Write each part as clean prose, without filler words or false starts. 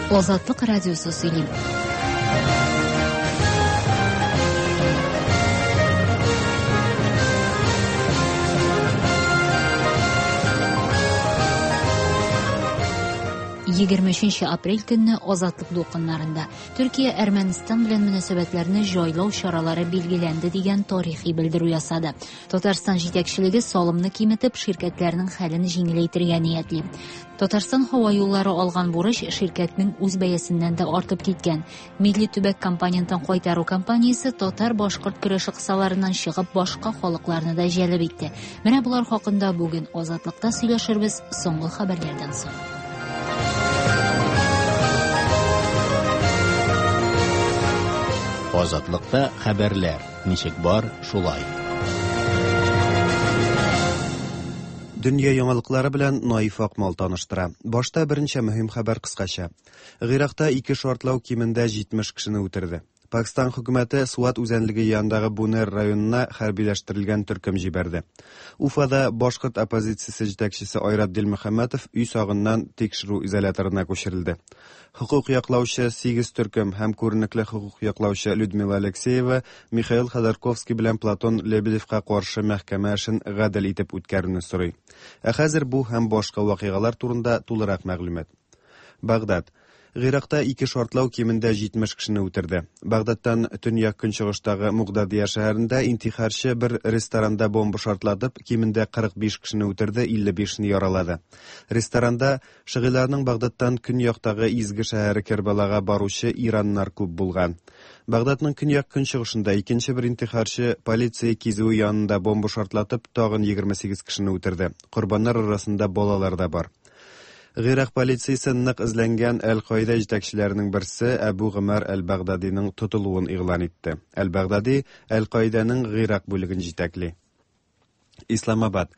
Азатлык радиосы сөйли. 23 апрель көнне Азатлык дулкыннарында Төркия Әрмәнстан белән мөнәсәбәтләрне җайлау чаралары билгеләнде дигән тарихи белдерү ясады. Татарстан җитәкчелеге салымны киметеп, ширкәтләрнең хәлен җиңеләйтергә ниятли. Татарстан һава юллары алган бурыч ширкәтнең үз бәясеннән дә артып киткән. Милли төбәк компонентын кайтару кампаниясе татар-башкорт көрәше кысаларыннан чыгып башка халыкларны да җәлеп итте. Менә болар хакында бүген Азатлыкта сөйләшербез соңгы хәбәрләрдән соң. Азатлыкта хәбәрләр ничек бар, шулай. Дөнья яңалыклары белән Наиф Акмал таныштыра. Башта берничә мөһим хәбәр кыскача. Гыйракта ике шартлау кимендә 70 кешене үтерде. Пакстан хөкүмәте Суат үзәнлеге янындагы Бунер районына хәрбиләштерелгән төркем җибәрде. Уфада башкорт оппозициясе җитәкчесе Айрат Дилмөхәммәтов өй сагыннан тикшерү изоляторына күчерелде. Хокук яклаучы сигез төркем һәм күренекле хокук яклаучы Людмила Алексеева Михаил Ходорковский белән Платон Лебедевка каршы мәхкәмә эшен гадел итеп үткәрүне сорый. Ә хәзер бу һәм башка вакыйгалар турында тулырак мәгълүмат. Багдад. Гыйракта ике шартлау кимендә 70 кешене үтерде. Багдадтан төньяк-көнчыгыштагы Мугдадия шәһәрендә интихарчы бер ресторанда бомба шартлатып, кимендә 45 кешене үтерде, 55-не яралады. Ресторанда Шыгыйларның Багдадтан көньяктагы изге шәһәре Кербалага баручы ираннар күп булган. Багдадның көньяк-көнчыгышында икенче бер интихарчы полиция кизүе янында бомба шартлатып, тагын 28 кешене үтерде. Корбаннар арасында балалар да бар. Гыйрак полициясе нык эзләнгән Әл-Каида җитәкчеләренең берсе Әбу Гомәр әл-Багдадиның тотылуын игълан итте. Әл-Багдади Әл-Каиданың Гыйрак бүлеген җитәкли. Исламабад.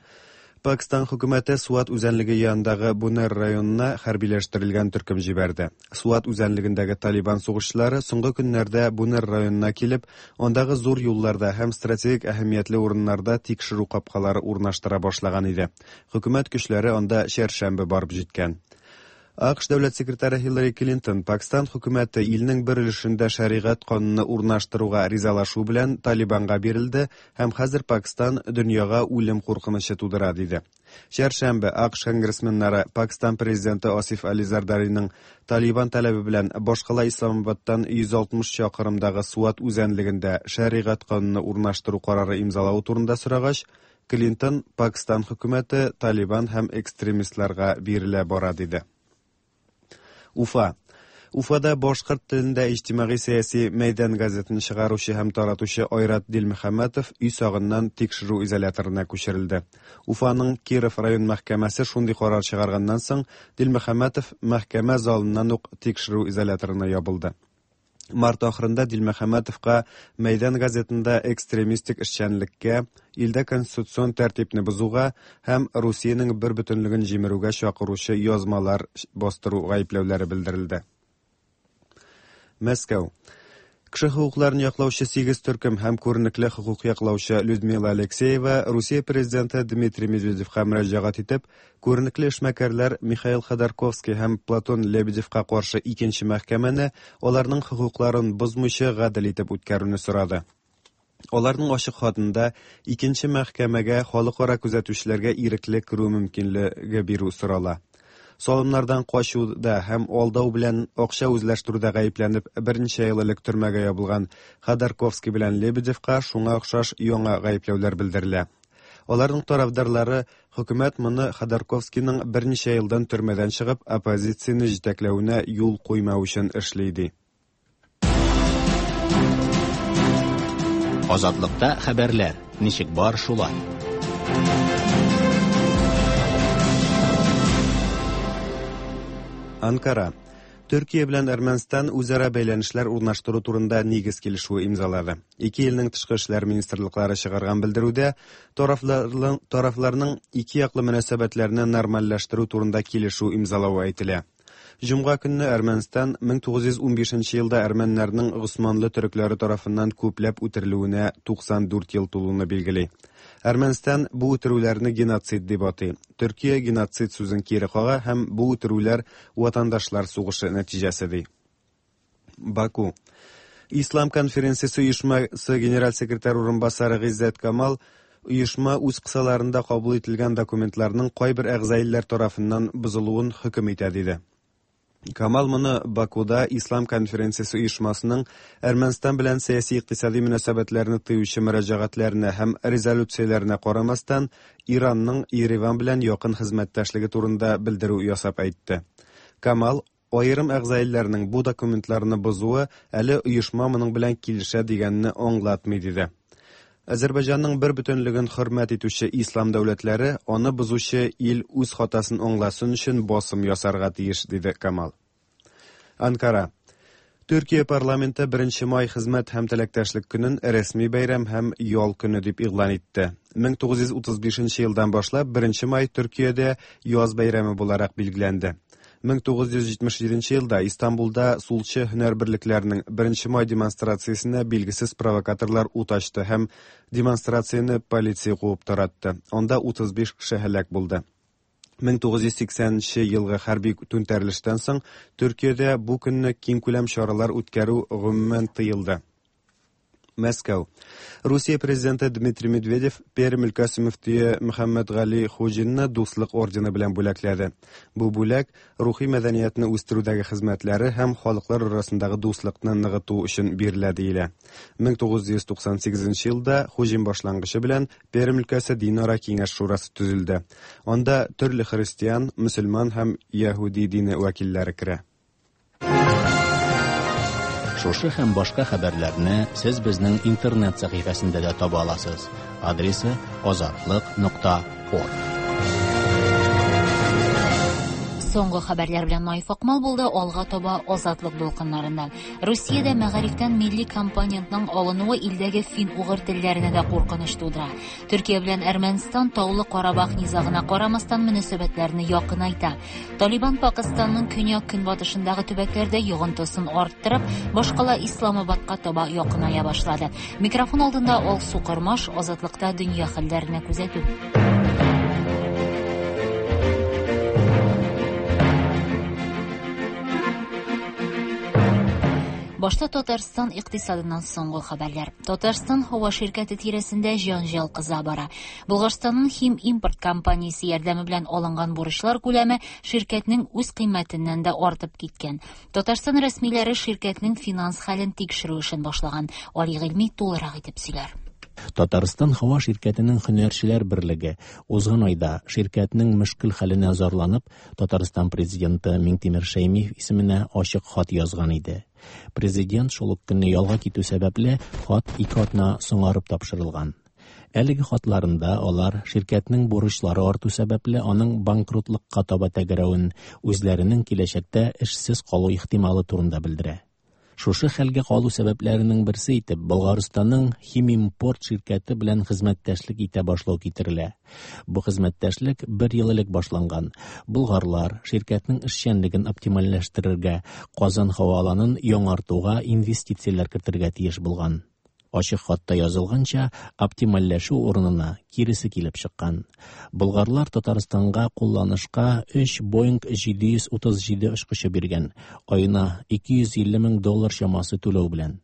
Пакстан хөкүмәте Суат үзәнлеге янындагы Бунер районына хәрбиләштерелгән төркем җибәрде. Суат үзәнлегендәге Талибан сугышчылары соңгы көннәрдә Бунер районына килеп, андагы зур юлларда һәм стратегик әһәмиятле урыннарда тикшерү капкалары урнаштыра башлаган иде. Хөкүмәт көчләре анда чәршәмбе барып җиткән. АКШ дәүләт секретаре Хиллари Клинтон Пакстан хөкүмәте илнең бер өлешендә шәригать кануны урнаштыруга ризалашу белән Талибанга бирелде һәм хәзер Пакстан дөньяга үлем куркынычы тудыра, диде. Чәршәмбе АКШ конгрессменнары Пакстан президенты Асиф Али Зардариның Талибан таләбе белән башкала Исламабадтан 160 чакрымдагы Суат үзәнлегендә шәригать кануны урнаштыру карары имзалавы турында сорагач, Клинтон Пакстан хөкүмәте Талибан һәм экстремистларга бирелә бара, диде. Уфа. Уфада башкорт телендә иҗтимагый-сәяси Мәйдан газетын чыгаручы һәм таратучы Айрат Дилмөхәммәтов өй сагыннан тикшерү изоляторына күчерелде. Уфаның Киров район мәхкәмәсе шундый карар чыгарганнан соң, Дилмөхәммәтов мәхкәмә залыннан ук тикшерү изоляторына ябылды. Март ахырында Дилмөхәммәтовка Мәйдан газетында экстремистик эшчәнлеккә, илдә конституцион тәртипне бозуга һәм Русиянең бер бөтенлеген җимерүгә чакыручы язмалар бастыру гаепләүләре белдерелде. Мәскәү. Кеше хокукларын яклаучы сигез төркем һәм күренекле хокук яклаучы Людмила Алексеева Русия президенты Дмитрий Медведевка мөрәҗәгать итеп, Күренекле эшмәкәрләр Михаил Ходорковский һәм Платон Лебедевка каршы икенче мәхкәмәне аларның хокукларын бозмыйча гадел итеп үткәрүне сорады. Аларның ачык хатында икенче мәхкәмәгә халыкара күзәтүчеләргә ирекле керү мөмкинлеге бирү сорала. Салымнардан качуда һәм алдау белән акча үзләштерүдә гаепләнеп берничә ел элек төрмәгә ябылган Ходорковский белән Лебедевка шуңа охшаш яңа гаепләүләр белдерелә. Аларның тарафдарлары хөкүмәт моны Ходорковскийның берничә елдан төрмәдән чыгып оппозицияне җитәкләвенә юл куймау өчен эшли ди. Азатлыкта хәбәрләр ничек бар шулай. Анкара. Төркия белән Әрмәнстан үзара бәйләнешләр урнаштыру турында нигез килешүе имзалады. Ике илнең тышкы эшләр министрлыклары чыгарган белдерүдә тарафларның, тарафларның ике яклы мөнәсәбәтләрне нормальләштерү турында килешү имзалавы әйтелә. Җомга көнне Әрмәнстан 1915 елда әрмәннәрнең госманлы төрекләре тарафыннан күпләп үтерелүенә 94 ел тулуны билгели. Әрмәнстан бу үтерүләрне геноцид дип атый. Төркия геноцид сүзен кире кага һәм бу үтерүләр ватандашлар сугышы нәтиҗәсе ди. Баку. Ислам конференциясе оешмасы генераль секретарь урынбасары Гыйззәт Камал оешма үз кысаларында кабул ителгән документларның кайбер әгъза илләр тарафыннан бозылуын хөкем итә диде. Камал моны Бакуда Ислам конференциясе оешмасының Әрмәнстан белән сәяси-икътисади мөнәсәбәтләрне тыючы мөрәҗәгатьләренә һәм резолюцияләренә карамастан, Иранның Ереван белән якын хезмәттәшлеге турында белдерү ясап әйтте. Камал аерым әгъза илләрнең бу документларны бозуы әле оешма моның белән килешә дигәнне аңлатмый диде. Азәрбайҗанның бер бөтенлеген хөрмәт итүче ислам дәүләтләре аны бозучы ил үз хатасын аңласын өчен басым ясарга тиеш, диде Камал. Анкара. Төркия парламенты 1 май хезмәт һәм теләктәшлек көнен рәсми бәйрәм һәм ял көне дип игълан итте. 1935 елдан башлап 1 май Төркиядә яз бәйрәме буларак билгеләнде. 1977 елда Истанбулда сулчы һөнәр берлекләренең 1 май демонстрациясенә билгесез провокаторлар ут ачты һәм демонстрацияне полиция куып таратты. Анда 35 кеше һәлак булды. 1980 елгы хәрби түнтәрелештән соң Төркиядә бу көнне киңкүләм чаралар үткәрү гомумән тыелды. Мәскәү. Русия президенты Дмитрий Медведев Пермь өлкәсе мөфтие Мөхәммәдгали Хуҗинны Дуслык ордены белән бүләкләде. Бу бүләк рухи мәдәниятне үстерүдәге хезмәтләре һәм халыклар арасындагы дуслыкны ныгыту өчен бирелә диелә. 1998 елда Хуҗин башлангычы белән Пермь өлкәсе динара киңәш шурасы төзелде. Анда төрле христиан, мөселман һәм яһүди дине вәкилләре керә. Шушы һәм башка хәбәрләрне сез безнең интернет сәхифәсендә дә таба аласыз. Адресы azatliq.org. Соңгы хәбәрләр белән Наиф Акмал булды. Алга таба Азатлык дулкыннарында. Русиядә мәгарифтән милли компонентның алынуы илдәге фин-угыр телләренә дә куркыныч тудыра. Төркия белән Әрмәнстан Таулы Карабах низагына карамастан мөнәсәбәтләрне якынайта. Талибан Пакыстанның көньяк-көнбатышындагы төбәкләрдә йогынтысын арттырып, башкала Исламабадка таба якыная башлады. Микрофон алдында Алсу Кормаш, Азатлыкта дөнья хәлләренә күзәтү. Башта Татарстан икътисадыннан соңгы хәбәрләр. Татарстан һава ширкәте тирәсендә җанҗал кыза бара. Болгарстанның Хим импорт компаниясе ярдәме белән алынган бурычлар күләме ширкәтнең үз кыйммәтеннән дә артып киткән. Татарстан рәсмиләре ширкәтнең финанс хәлен тикшерү эшен башлаган. Али Гыйльми тулырак итеп сөйләр. Татарстан һава ширкәтенең һөнәрчеләр берлеге узган айда ширкәтнең мөшкел хәленә зарланып, Татарстан президенты Миңтимер Шәймиев исеменә ачык хат язган иде. Президент шул ук көнне ялга китү сәбәпле хат ике атна соңарып тапшырылган. Әлеге хатларында алар ширкәтнең бурычлары арту сәбәпле аның банкротлыкка таба тәгәрәвен, үзләренең киләчәктә эшсез калу ихтималы турында белдерә. Шушы хәлгә калу сәбәпләренең берсе итеп Болгарстанның Химимпорт ширкәте белән хезмәттәшлек итә башлау китерелә. Бу хезмәттәшлек бер ел элек башланган. Болгарлар ширкәтнең эшчәнлеген оптимальләштерергә, Казан һава аланын яңартуга инвестицияләр кертергә тиеш булган. Ачык хатта язылганча, оптимальләшү урынына киресе килеп чыккан. Болгарлар Татарстанга кулланышка 3 Boeing 737 очкычы биргән, аена 250 мең доллар чамасы түләү белән.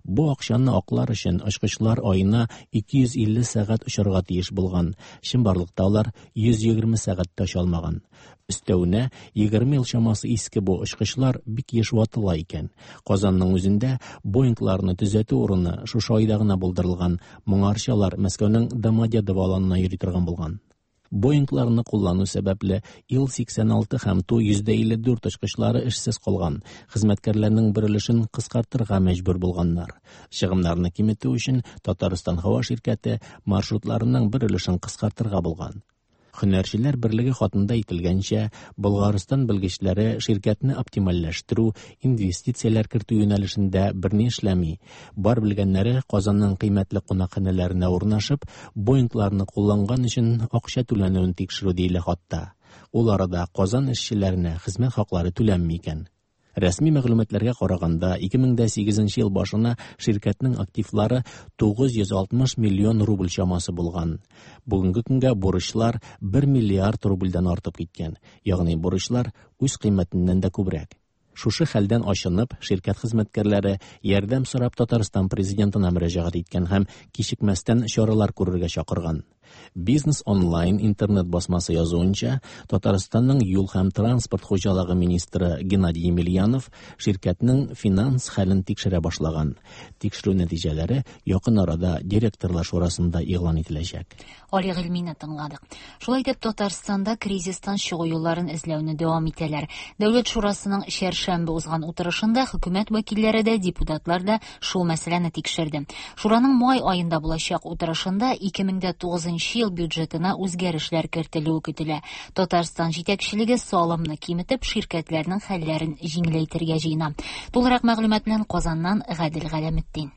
Бу акчаны аклар өчен очкычлар аена 250 сәгать очарга тиеш булган. Чынбарлыкта алар 120 сәгать тә оча алмаган. Өстәвенә 20 ел чамасы иске бу очкычлар бик еш ватыла икән. Казанның үзендә Боингларны төзәтү урыны шушы айда гына булдырылган. Моңарчы алар Мәскәүнең Домодедово аланына йөри торган булган. Боингларны куллану сәбәпле Ил-86 һәм Ту-154 очкычлары эшсез калган. Хезмәткәрләрнең бер өлешен кыскартырга мәҗбүр булганнар. Чыгымнарны киметү өчен Татарстан һава ширкәте маршрутларының бер өлешен кыскартырга булган. Һөнәрчеләр берлеге хатында әйтелгәнчә, Болгарстан белгечләре ширкәтне оптимальләштерү, инвестицияләр кертү юнәлешендә берни эшләми. Бар белгәннәре Казанның кыйммәтле кунакханәләренә урнашып, Боингларны кулланган өчен акча түләнүен тикшерү диелә хатта. Ул арада Казан эшчеләренә хезмәт хаклары түләнми икән. Рәсми мәгълүматларга караганда, 2008 ел башына ширкәтнең активлары 960 миллион рубль чамасы булган. Бүгенге көнгә бурычлар 1 миллиард рубльдән артып киткән, ягъни бурычлар үз кыйммәтеннән дә күбрәк. Шушы хәлдән ачынып, ширкәт хезмәткәрләре ярдәм сорап Татарстан президентына мөрәҗәгать иткән һәм кичекмәстән чаралар күрергә чакырган. Бизнес онлайн интернет басмасы язуынча, Татарстанның юл һәм транспорт хуҗалыгы министры Геннадий Емельянов ширкәтнең финанс хәлен тикшерә башлаган. Тикшерү нәтиҗәләре якын арада директорлар шурасында игълан ителәчәк. Али Гыйльмине тыңладык. Шулай итеп, Татарстанда кризистан чыгу юлларын эзләүне дәвам итәләр. Дәүләт шурасының чәршәмбе узган утырышында хөкүмәт вәкилләре дә, депутатлар да шул мәсьәләне тикшерде. Шураның май аенда булачак утырышында 2009 ел бюджетына үзгәрешләр кертелүе көтелә. Татарстан җитәкчелеге салымны киметеп, ширкәтләрнең хәлләрен җиңеләйтергә җыена. Тулырак мәгълүмат белән Казаннан Гадел Галәметдин.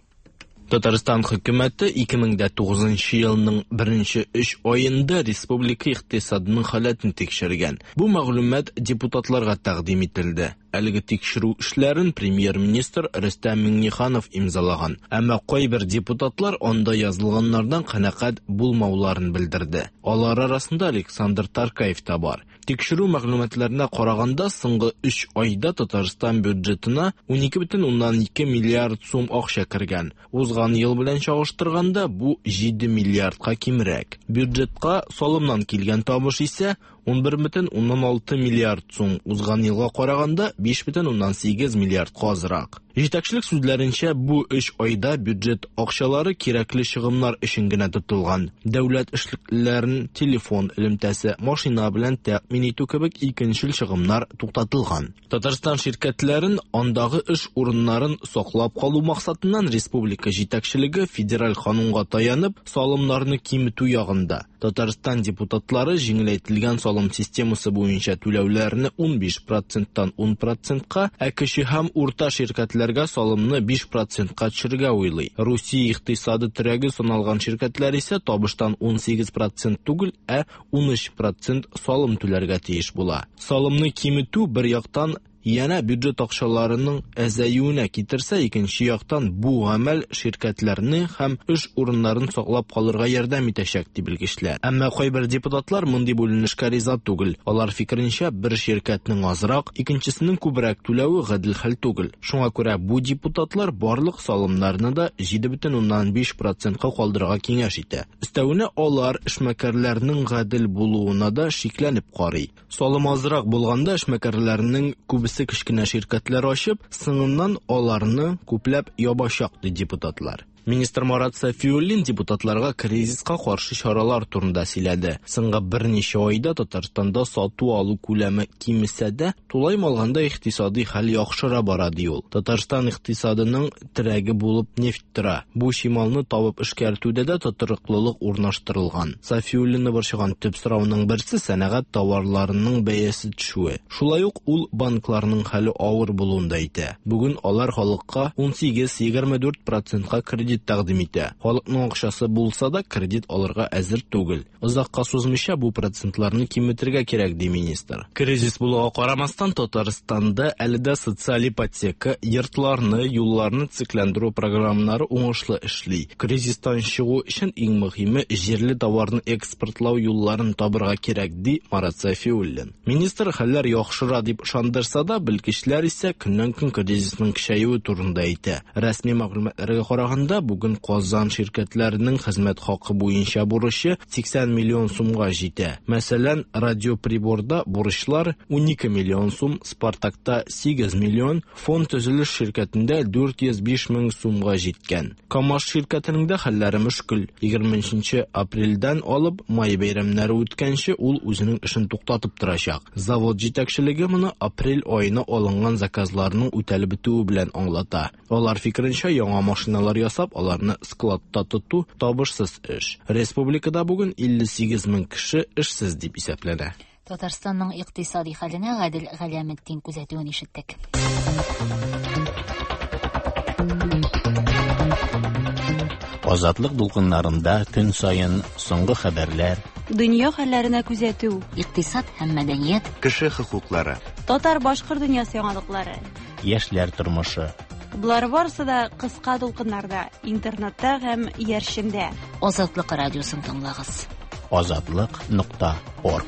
Татарстан хөкүмәте 2009 елның беренче 3 аенда республика икътисадының халәтен тикшергән. Бу мәгълүмат депутатларга тәкъдим ителде. Әлеге тикшерү эшләрен премьер-министр Рөстәм Миңнеханов имзалаган. Әмма кайбер депутатлар анда язылганнардан канәгать булмауларын белдерде. Алар арасында Александр Таркаев та бар. Тикшерү мәгълүматларына караганда, соңгы 3 айда Татарстан бюджетына 12,2 миллиард сум акча кергән. Узган ел белән чагыштырганда бу 7 миллиардка кимрәк. Бюджетка салымнан килгән табыш исә 11,6 миллиард сум, узган елга караганда 5,8 миллиардка азрак. Җитәкчелек сүзләренчә, бу 3 айда бюджет акчалары кирәкле чыгымнар өчен генә тотылган. Дәүләт эшлеклеләрен телефон элемтәсе, машина белән тәэмин итү кебек икенчел чыгымнар туктатылган. Татарстан ширкәтләрен андагы эш урыннарын саклап калу максатыннан республика җитәкчелеге федераль канунга таянып, салымнарны киметү ягында. Татарстан депутатлары җиңеләйтелгән салым системасы буенча түләүләрне 15%-тан 10%-ка, ә кече һәм урта ширкәтләргә салымны 5%-ка төшерергә уйлый. Русия икътисады терәге саналган ширкәтләр исә табыштан 18% түгел, ә 13% салым түләргә тиеш була. Салымны киметү бер яктан янә бюджет акчаларының әзәюенә китерсә, икенче яктан бу гамәл ширкәтләрне һәм эш урыннарын саклап калырга ярдәм итәчәк, ди белгечләр. Әмма кайбер депутатлар мондый бүленешкә риза түгел. Алар фикеренчә, бер ширкәтнең азрак, икенчесенең күбрәк түләве гадел хәл түгел. Шуңа күрә бу депутатлар барлык салымнарны да 7,5%-ка калдырырга киңәш итә. Өстәвенә алар эшмәкәрләрнең гадел булуына да шикләнеп карый. Салым азрак булганда эшмәкәрләрнең күбесе кечкенә ширкәтләр ачып, соңыннан аларны күпләп ябачак, ди депутатлар. Министр Марат Сафиуллин депутатларга кризиска каршы чаралар турында сөйләде. Соңгы берничә айда Татарстанда сату-алу күләме кимесә дә, тулаем алганда икътисади хәл яхшыра бара, ди ул. Татарстан икътисадының терәге булып нефть тора. Бу чималны табып эшкәртүдә дә тотрыклылык урнаштырылган. Сафиуллинны борчыган төп сорауның берсе сәнәгать товарларының бәясе төшүе. Шулай ук ул банкларның хәле авыр булуын да әйтә. Бүген алар халыкка 18-24%-ка кредит тәкъдим итә. Халыкның акчасы булса да кредит алырга әзер түгел. Озакка сузмыйча бу процентларны киметергә кирәк, ди министр. Кризис булуга карамастан Татарстанда әле дә социаль ипотека, йортларны, юлларны төзекләндерү программалары уңышлы эшли. Кризистан чыгу өчен иң мөһиме җирле товарны экспортлау юлларын табырга кирәк, ди Марат Сафиуллин. Министр хәлләр яхшыра дип ышандырса да, белгечләр исә көннән-көн кризисның көчәюе турында әйтә. Рәсми мәгълүматларга караганда, бүген Казан ширкәтләренең хезмәт хакы буенча бурычы 80 миллион сумга җитә. Мәсәлән, Радиоприборда бурычлар 12 миллион сум, Спартакта 8 миллион, Фонд төзелеш ширкәтендә 405 мең сумга җиткән. КАМАЗ ширкәтенең дә хәлләре мөшкел. 23 апрельдән алып май бәйрәмнәре үткәнче ул үзенең эшен туктатып торачак. Завод җитәкчелеге моны апрель аена алынган заказларның үтәлеп бетүе белән аңлата. Алар фикеренчә, яңа машиналар ясап, аларны складта тоту табышсыз эш. Республикада бүген 58 мең кеше эшсез дип исәпләнә. Татарстанның икътисади хәленә Гадел Галәметдин күзәтүен ишеттек. Азатлык дулкыннарында көн саен соңгы хәбәрләр, Дөнья хәлләренә күзәтү. Икътисад һәм мәдәният. Кеше хокуклары. Татар-башкорт дөньясы яңалыклары. Яшьләр тормышы. Болар барысы да кыска дулкыннарда, интернетта һәм иярчендә. Азатлык радиосын тыңлагыз. Азатлык.орг.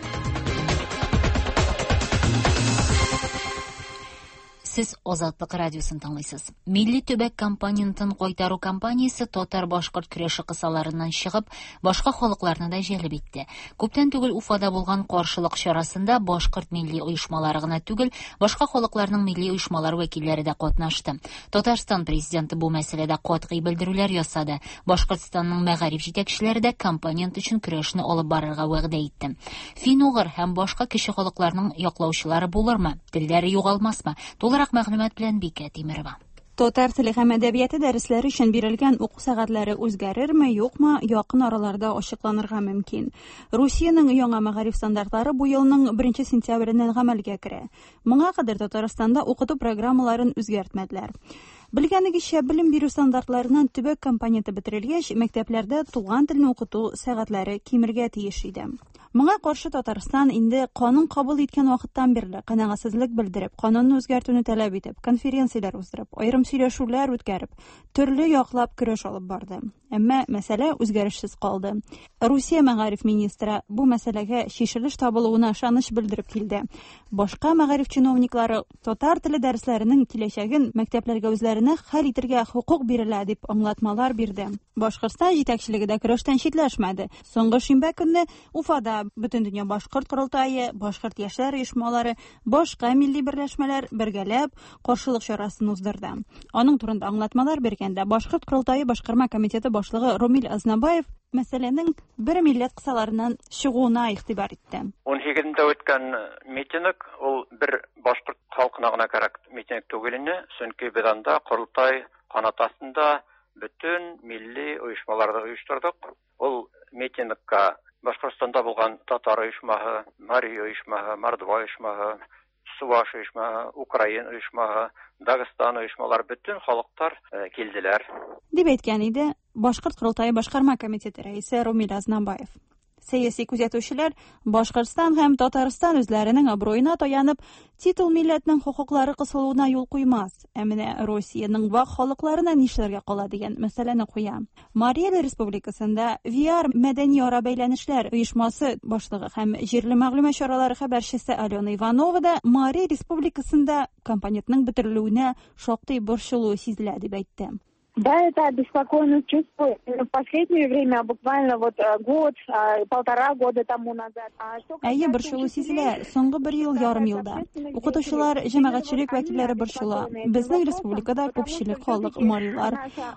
Сез Азатлык радиосын тыңлыйсыз. Милли төбәк компонентын кайтару кампаниясе татар-башкорт көрәше кысаларыннан чыгып, башка халыкларны да җәлеп итте. Күптән түгел Уфада булган каршылык чарасында башкорт милли оешмалары гына түгел, башка халыкларның милли оешмалары вәкилләре дә катнашты. Татарстан президенты бу мәсьәләдә катгый белдерүләр ясады. Башкортстанның мәгариф җитәкчеләре дә компонент өчен көрәшне алып барырга вәгъдә итте. Фин-угыр һәм башка кече халыкларның яклаучылары булырмы? Телләре югалмасмы? Тулырак мәгълүмат белән Бикә Тимерова. Татар теле һәм әдәбияты дәресләре өчен бирелгән уку сәгатьләре үзгәрерме, юкмы, якын араларда ачыкланырга мөмкин. Русиянең яңа мәгариф стандартлары бу елның 1 сентябреннән гамәлгә керә. Моңа кадәр Татарстанда укыту программаларын үзгәртмәделәр. Белгәнегезчә, белем бирү стандартларыннан төбәк компоненты бетерелгәч, мәктәпләрдә туган телне укыту сәгатьләре кимергә тиеш иде. Моңа каршы Татарстан инде канун кабул иткән вакыттан бирле канәгатьсезлек белдереп, канунны үзгәртүне таләп итеп, конференцияләр уздырып, аерым сөйләшүләр үткәреп, төрле яклап көрәш алып барды. Әмма мәсьәлә үзгәрешсез калды. Русия мәгариф министры бу мәсьәләгә чишелеш табылуына ышаныч белдереп килде. Башка мәгариф чиновниклары татар теле дәресләренең киләчәген мәктәпләргә үзләренә хәл итәргә хокук бирелә дип аңлатмалар бирде. Башкортстан җитәкчелеге дә көрәштән читләшмәде. Соңгы шимбә көнне Уфада Бөтендөнья башкорт корылтае, башкорт яшьләр оешмалары, башка милли берләшмәләр бергәләп каршылык чарасын уздырды. Аның турында аңлатмалар биргәндә Башкорт корылтае башкарма комитеты башлыгы Ромил Азнабаев мәсьәләнең бер милләт кысаларыннан чыгуына игътибар итте. 18-ндә үткән митинг ул бер башкорт халкына гына кәрәк митинг түгел ине, чөнки без анда корылтай канат астында бөтен милли оешмаларны оештырдык. Ул митингка Башкортстанда булган татар оешмаһы, мари оешмаһы, мордва оешмаһы, Суваш оешмаһы, украин оешмаһы, Дагыстан оешмалары, бөтен халыклар килделәр. Дип әйткән иде Башкорт корылтае башкарма комитеты рәисе Румил Азнабаев. Сәяси күзәтүчеләр Башкортстан һәм Татарстан үзләренең абруена таянып, титул милләтнең хокуклары кысылуына юл куймас. Ә менә Русиянең вак халыкларына нишләргә кала дигән мәсьәләне куя. Марий Эл Республикасында VR мәдәни ара бәйләнешләр оешмасы башлыгы һәм җирле мәгълүмат чаралары хәбәрчесе Алена Иванова да Марий Республикасында компонентның бетерелүенә шактый борчылу сизелә дип әйтте. Да, это обеспокоенность чувствую. В последнее время, буквально вот год, полтора года тому назад. Әйе, борчылу сизелә. Соңгы бер ел ярым елда. Укытучылар, җәмәгатьчелек вәкилләре борчыла. Безнең республикада күпчелек халык марилар.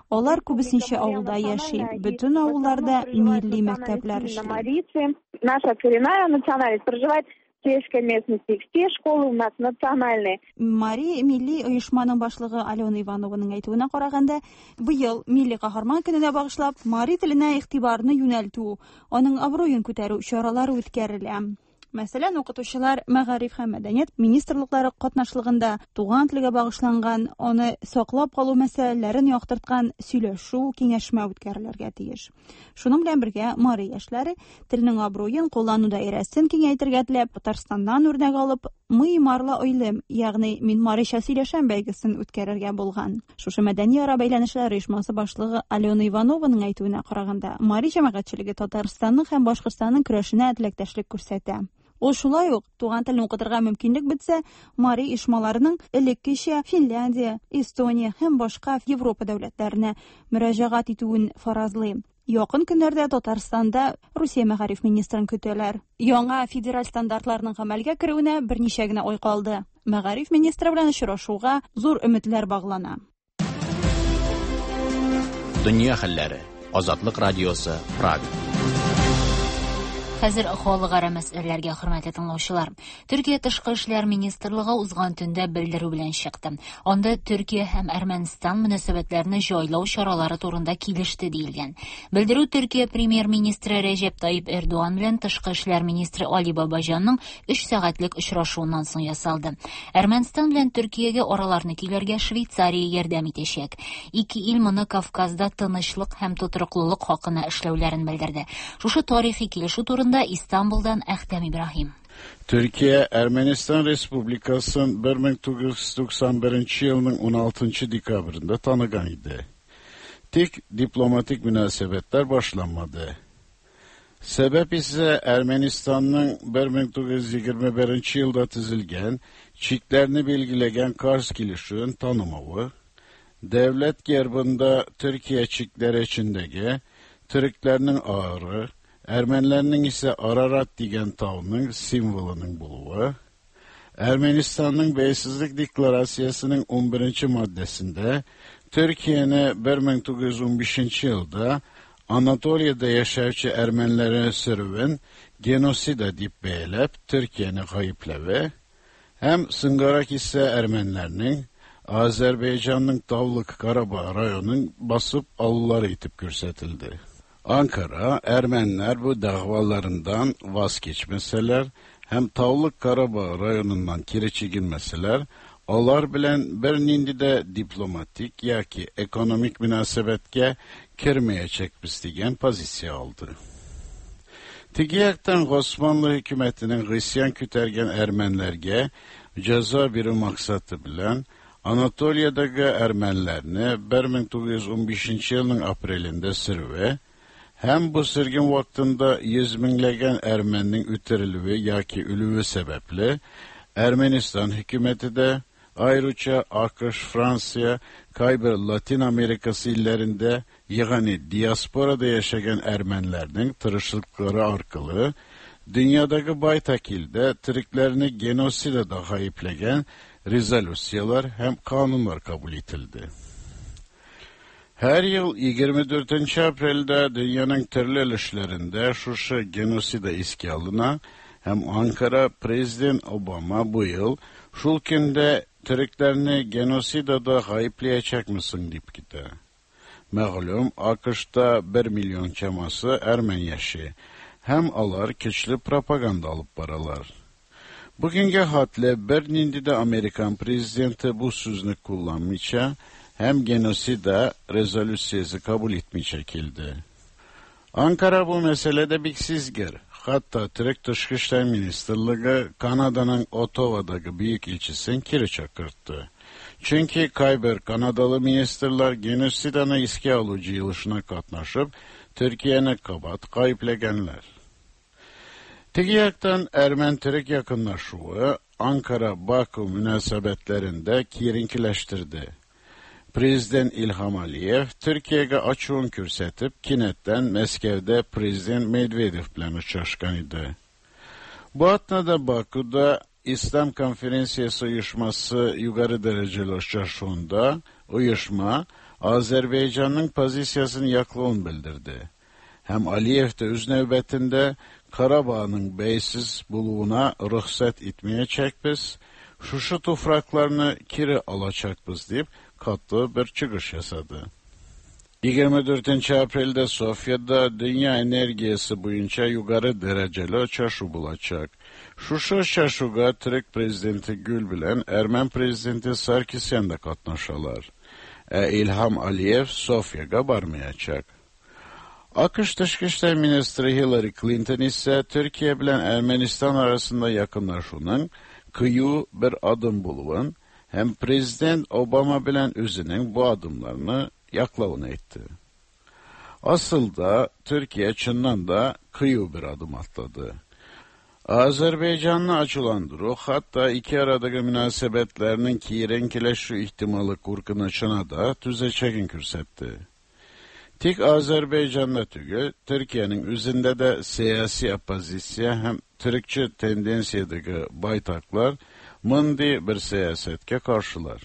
Алар күбесенчә авылда яши. Бөтен авылларда милли мәктәпләр эшли. Наша коренная национальность проживает в сельской местности. Все школы у нас национальные. Мари милли оешманың башлыгы Алена Иванованың әйтүенә караганда, быел милли каһарман көненә багышлап, мари теленә игътибарны юнәлтү, аның абруен күтәрү чаралары үткәрелә. Мәсәлән, укытучылар мәгариф һәм мәдәният министрлыклары катнашлыгында туган телгә багышланган, аны саклап калу мәсьәләләрен яктырткан сөйләшү, киңәшмә үткәрелергә тиеш. Шуның белән бергә мари яшьләре телнең абруен куллану даирәсен киңәйтергә теләп, Татарстаннан үрнәк алып, Мый марла ойлым, ягъни мин марича сөйләшәм бәйгесен үткәрергә булган. Шушы мәдәни ара бәйләнешләр оешмасы башлыгы Алена Иванованың әйтүенә караганда, мари җәмәгатьчелеге Татарстанның һәм Башкортстанның көрәшенә теләктәшлек күрсәтә. Ул шулай ук туган телне укытырга мөмкинлек бетсә, мари оешмаларының элеккечә Финляндия, Эстония һәм башка Европа дәүләтләренә мөрәҗәгать итүен фаразлый. Якын көннәрдә Татарстанда Русия мәгариф министрын көтәләр. Яңа федераль стандартларның гамәлгә керүенә берничә генә ай калды. Мәгариф министры белән очрашуга зур өметләр баглана. Дөнья хәлләре. Азатлык радиосы, Прага. Хәзер халыкара мәсьәләләргә, хөрмәтле тыңлаучылар. Төркия тышкы эшләр министрлыгы узган төндә белдерү белән чыкты. Анда Төркия һәм Әрмәнстан мөнәсәбәтләрне җайлау чаралары турында килеште диелгән. Белдерү Төркия премьер-министры Рәҗәп Тайип Эрдоган белән тышкы эшләр министры Али Бабаҗанның 3 сәгатьлек очрашуыннан соң ясалды. Әрмәнстан белән Төркиягә араларны көйләргә Швейцария ярдәм итәчәк. Ике ил моны Кавказда тынычлык һәм тотрыклылык хакына эшләүләрен белдерде. Шушы тарихи килешү турында турында Истанбулдан Әхтәм Ибраһим. Türkiye, Ermenistan Respublikası'nın 1991 yılının 16. dekabrında tanıgan idi. Tik diplomatik münasebetler başlanmadı. Sebep ise Ermenistan'ın 1921 yılda tizilgen, çiklerini belgilegen Kars kilişinin tanımavı, devlet gerbında Türkiye çikleri içindeki Türklerinin ağrı, Ermenilerinin ise Ararat digen tavının simvolunun buluvu, Ermenistan'ın Beysizlik Deklarasiyasının 11. maddesinde Türkiye'ni 1915 yılda Anatolia'da yaşayıcı Ermenilerin sürüvün genosida deyip beylep Türkiye'ni kayıplevi, hem Sıngarak ise Ermenilerinin Azerbaycan'ın Tavlık Karabağ rayonun basıp allıları itip kürsetildi. Ankara, Ermeniler bu davalarından vazgeçmeseler, hem Tavlık Karabağ rayonundan kiri çekinmeseler, Alar bilen bir nindi de diplomatik yaki ekonomik münasebetke kirmeyecekbiz diyen pozisiya aldı. Tigi yaktan Osmanlı hükümetinin Hristiyan kütergen Ermenilerge ceza biri maksatı bilen Anatolia'daki Ermenilerini 1915 yılın aprelinde sürve, hem bu sürgün vaktinde yüz binlegen Ermeninin üterilüvi yaki ölüvü sebeple Ermenistan hükümeti de ayrıca AKŞ, Fransa, Kayber Latin Amerikası illerinde yani diasporada yaşayan Ermenilerinin tırışlıkları arkalı dünyadaki baytakilde Türklerini genosida da kayıplegen rezolüsiyalar hem kanunlar kabul etildi. Her yıl 24 aprelde dünyanın türlü ülkelerinde şu genosida iski alına hem Ankara Prezident Obama bu yıl şulkinde Türklerini genosidada kayıplayacak mısın deyip gitti. Məğlum, AQŞ'da 1 milyon çaması Ermeni yaşı. Hem alar güçlü propaganda alıp baralar. Bugünkü hatle bir nindi de Amerikan prezidenti bu sözünü kullanmışa, hem genosida rezolüsiyesi kabul etmiş çekildi. Ankara bu meselede biksizgir. Hatta Türk Dışişleri Ministerliği Kanada'nın Ottawa'daki büyük ilçesini kiri çakırttı. Çünkü Kayber Kanadalı ministerler genosidanı iske alıcı yılışına katnaşıp Türkiye'ni kabat kayıplegenler. Tigi yaktan Ermen-Türk yakınlaşığı Ankara-Bakü münasebetlerinde kirinkileştirdi. Prezident İlham Aliyev Türkiye'ye açığın kürsetip kinetten Meskev'de Prezident Medvedev bilen uçraşkan idi. Bu atnada Bakü'de İslam Konferensiyası uyuşması yukarı dereceli uçraşığında uyuşma Azerbaycan'ın pozisiyasını yaklığını bildirdi. Hem Aliyev de öz növbetinde Karabağ'ın beysiz buluğuna ruhsat etmeyecek biz, Şuşu topraklarını kiri alacak biz deyip katlı bir çıkış yasadı. 24. Aprelde Sofya'da dünya energiyası boyunca yukarı dereceli uçaşı bulacak. Şuşa uçaşıga Türk Prezidenti Gül bilen Ermen Prezidenti Sarkisyan da katnaşalar. İlham Aliyev Sofya'ya barmayacak. AQŞ Dışişleri Ministri Hillary Clinton ise Türkiye bilen Ermenistan arasında yakınlaşının kıyı bir adım bulun, hem Prezident Obama bilen özünün bu adımlarını yaklavını etti. Asıl da Türkiye çından da kıyı bir adım atladı. Azerbaycan'la açılandırı, hatta iki aradaki münasebetlerinin kirenkileşü ihtimali korkunuşuna da tüzeçekin kürsetti. Tik Azerbaycan'da tügü, Türkiye'nin üzerinde de siyasi opozisiya hem Türkçü tendensiyadaki baytaklar mındi bir siyasetke karşılar.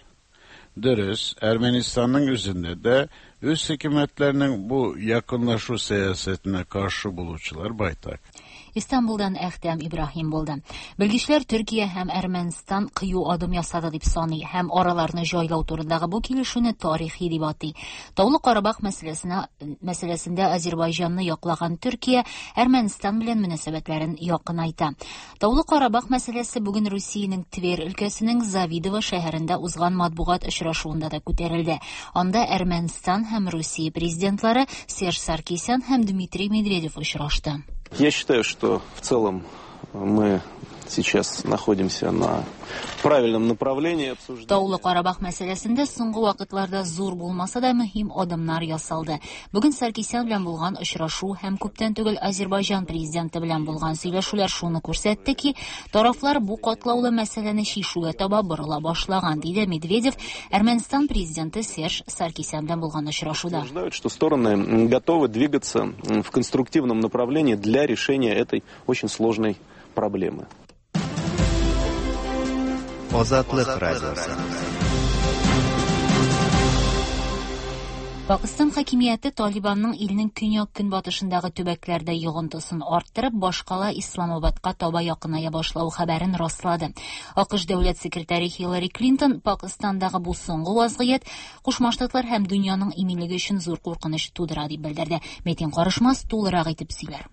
Dürüst, Ermenistan'ın üzerinde de üst hükümetlerinin bu yakınlaşu siyasetine karşı bulucular baytak. Истанбулдан Әхтәм Ибраһим булды. Белгечләр Төркия һәм Әрмәнстан кыю адым ясады дип саный һәм араларны җайлау турындагы бу килешүне тарихи дип атый. Таулы Карабах мәсьәләсендә Азербайҗанны яклаган Төркия Әрмәнстан белән мөнәсәбәтләрен якынайта. Таулы Карабах мәсьәләсе бүген Русиянең Тверь өлкәсенең Завидово шәһәрендә узган матбугат очрашуында да күтәрелде. Анда Әрмәнстан һәм Русия президентлары Серж Саркисян һәм Дмитрий Медведев очрашты. Я считаю, что в целом мы сейчас находимся на правильном направлении обсуждения. Таулы Карабах мәсьәләсендә соңгы вакытларда зур булмаса да мөһим адымнар ясалды. Бүген Саркисян белән булган очрашу һәм күптән түгел Азербайҗан президенты белән булган сөйләшүләр шуны күрсәтте ки, тарафлар бу катлаулы мәсьәләне чишүгә таба борыла башлаган, диде Медведев Әрмәнстан президенты Серж Саркисян белән булган очрашуда. Утверждают, что стороны готовы двигаться в конструктивном направлении для решения этой очень сложной проблемы. Азатлык радиосы. Пакыстан хакимияте Талибанның илнең көньяк-көнбатышындагы төбәкләрдә йогынтысын арттырып, башкала Исламабадка таба якыная башлавы хәбәрен раслады. АКШ дәүләт секретаре Хиллари Клинтон Пакыстандагы бу соңгы вазгыять Кушма Штатлар һәм дөньяның иминлеге өчен зур куркыныч тудыра дип белдерде. Метин Карышмас тулырак итеп сөйләр.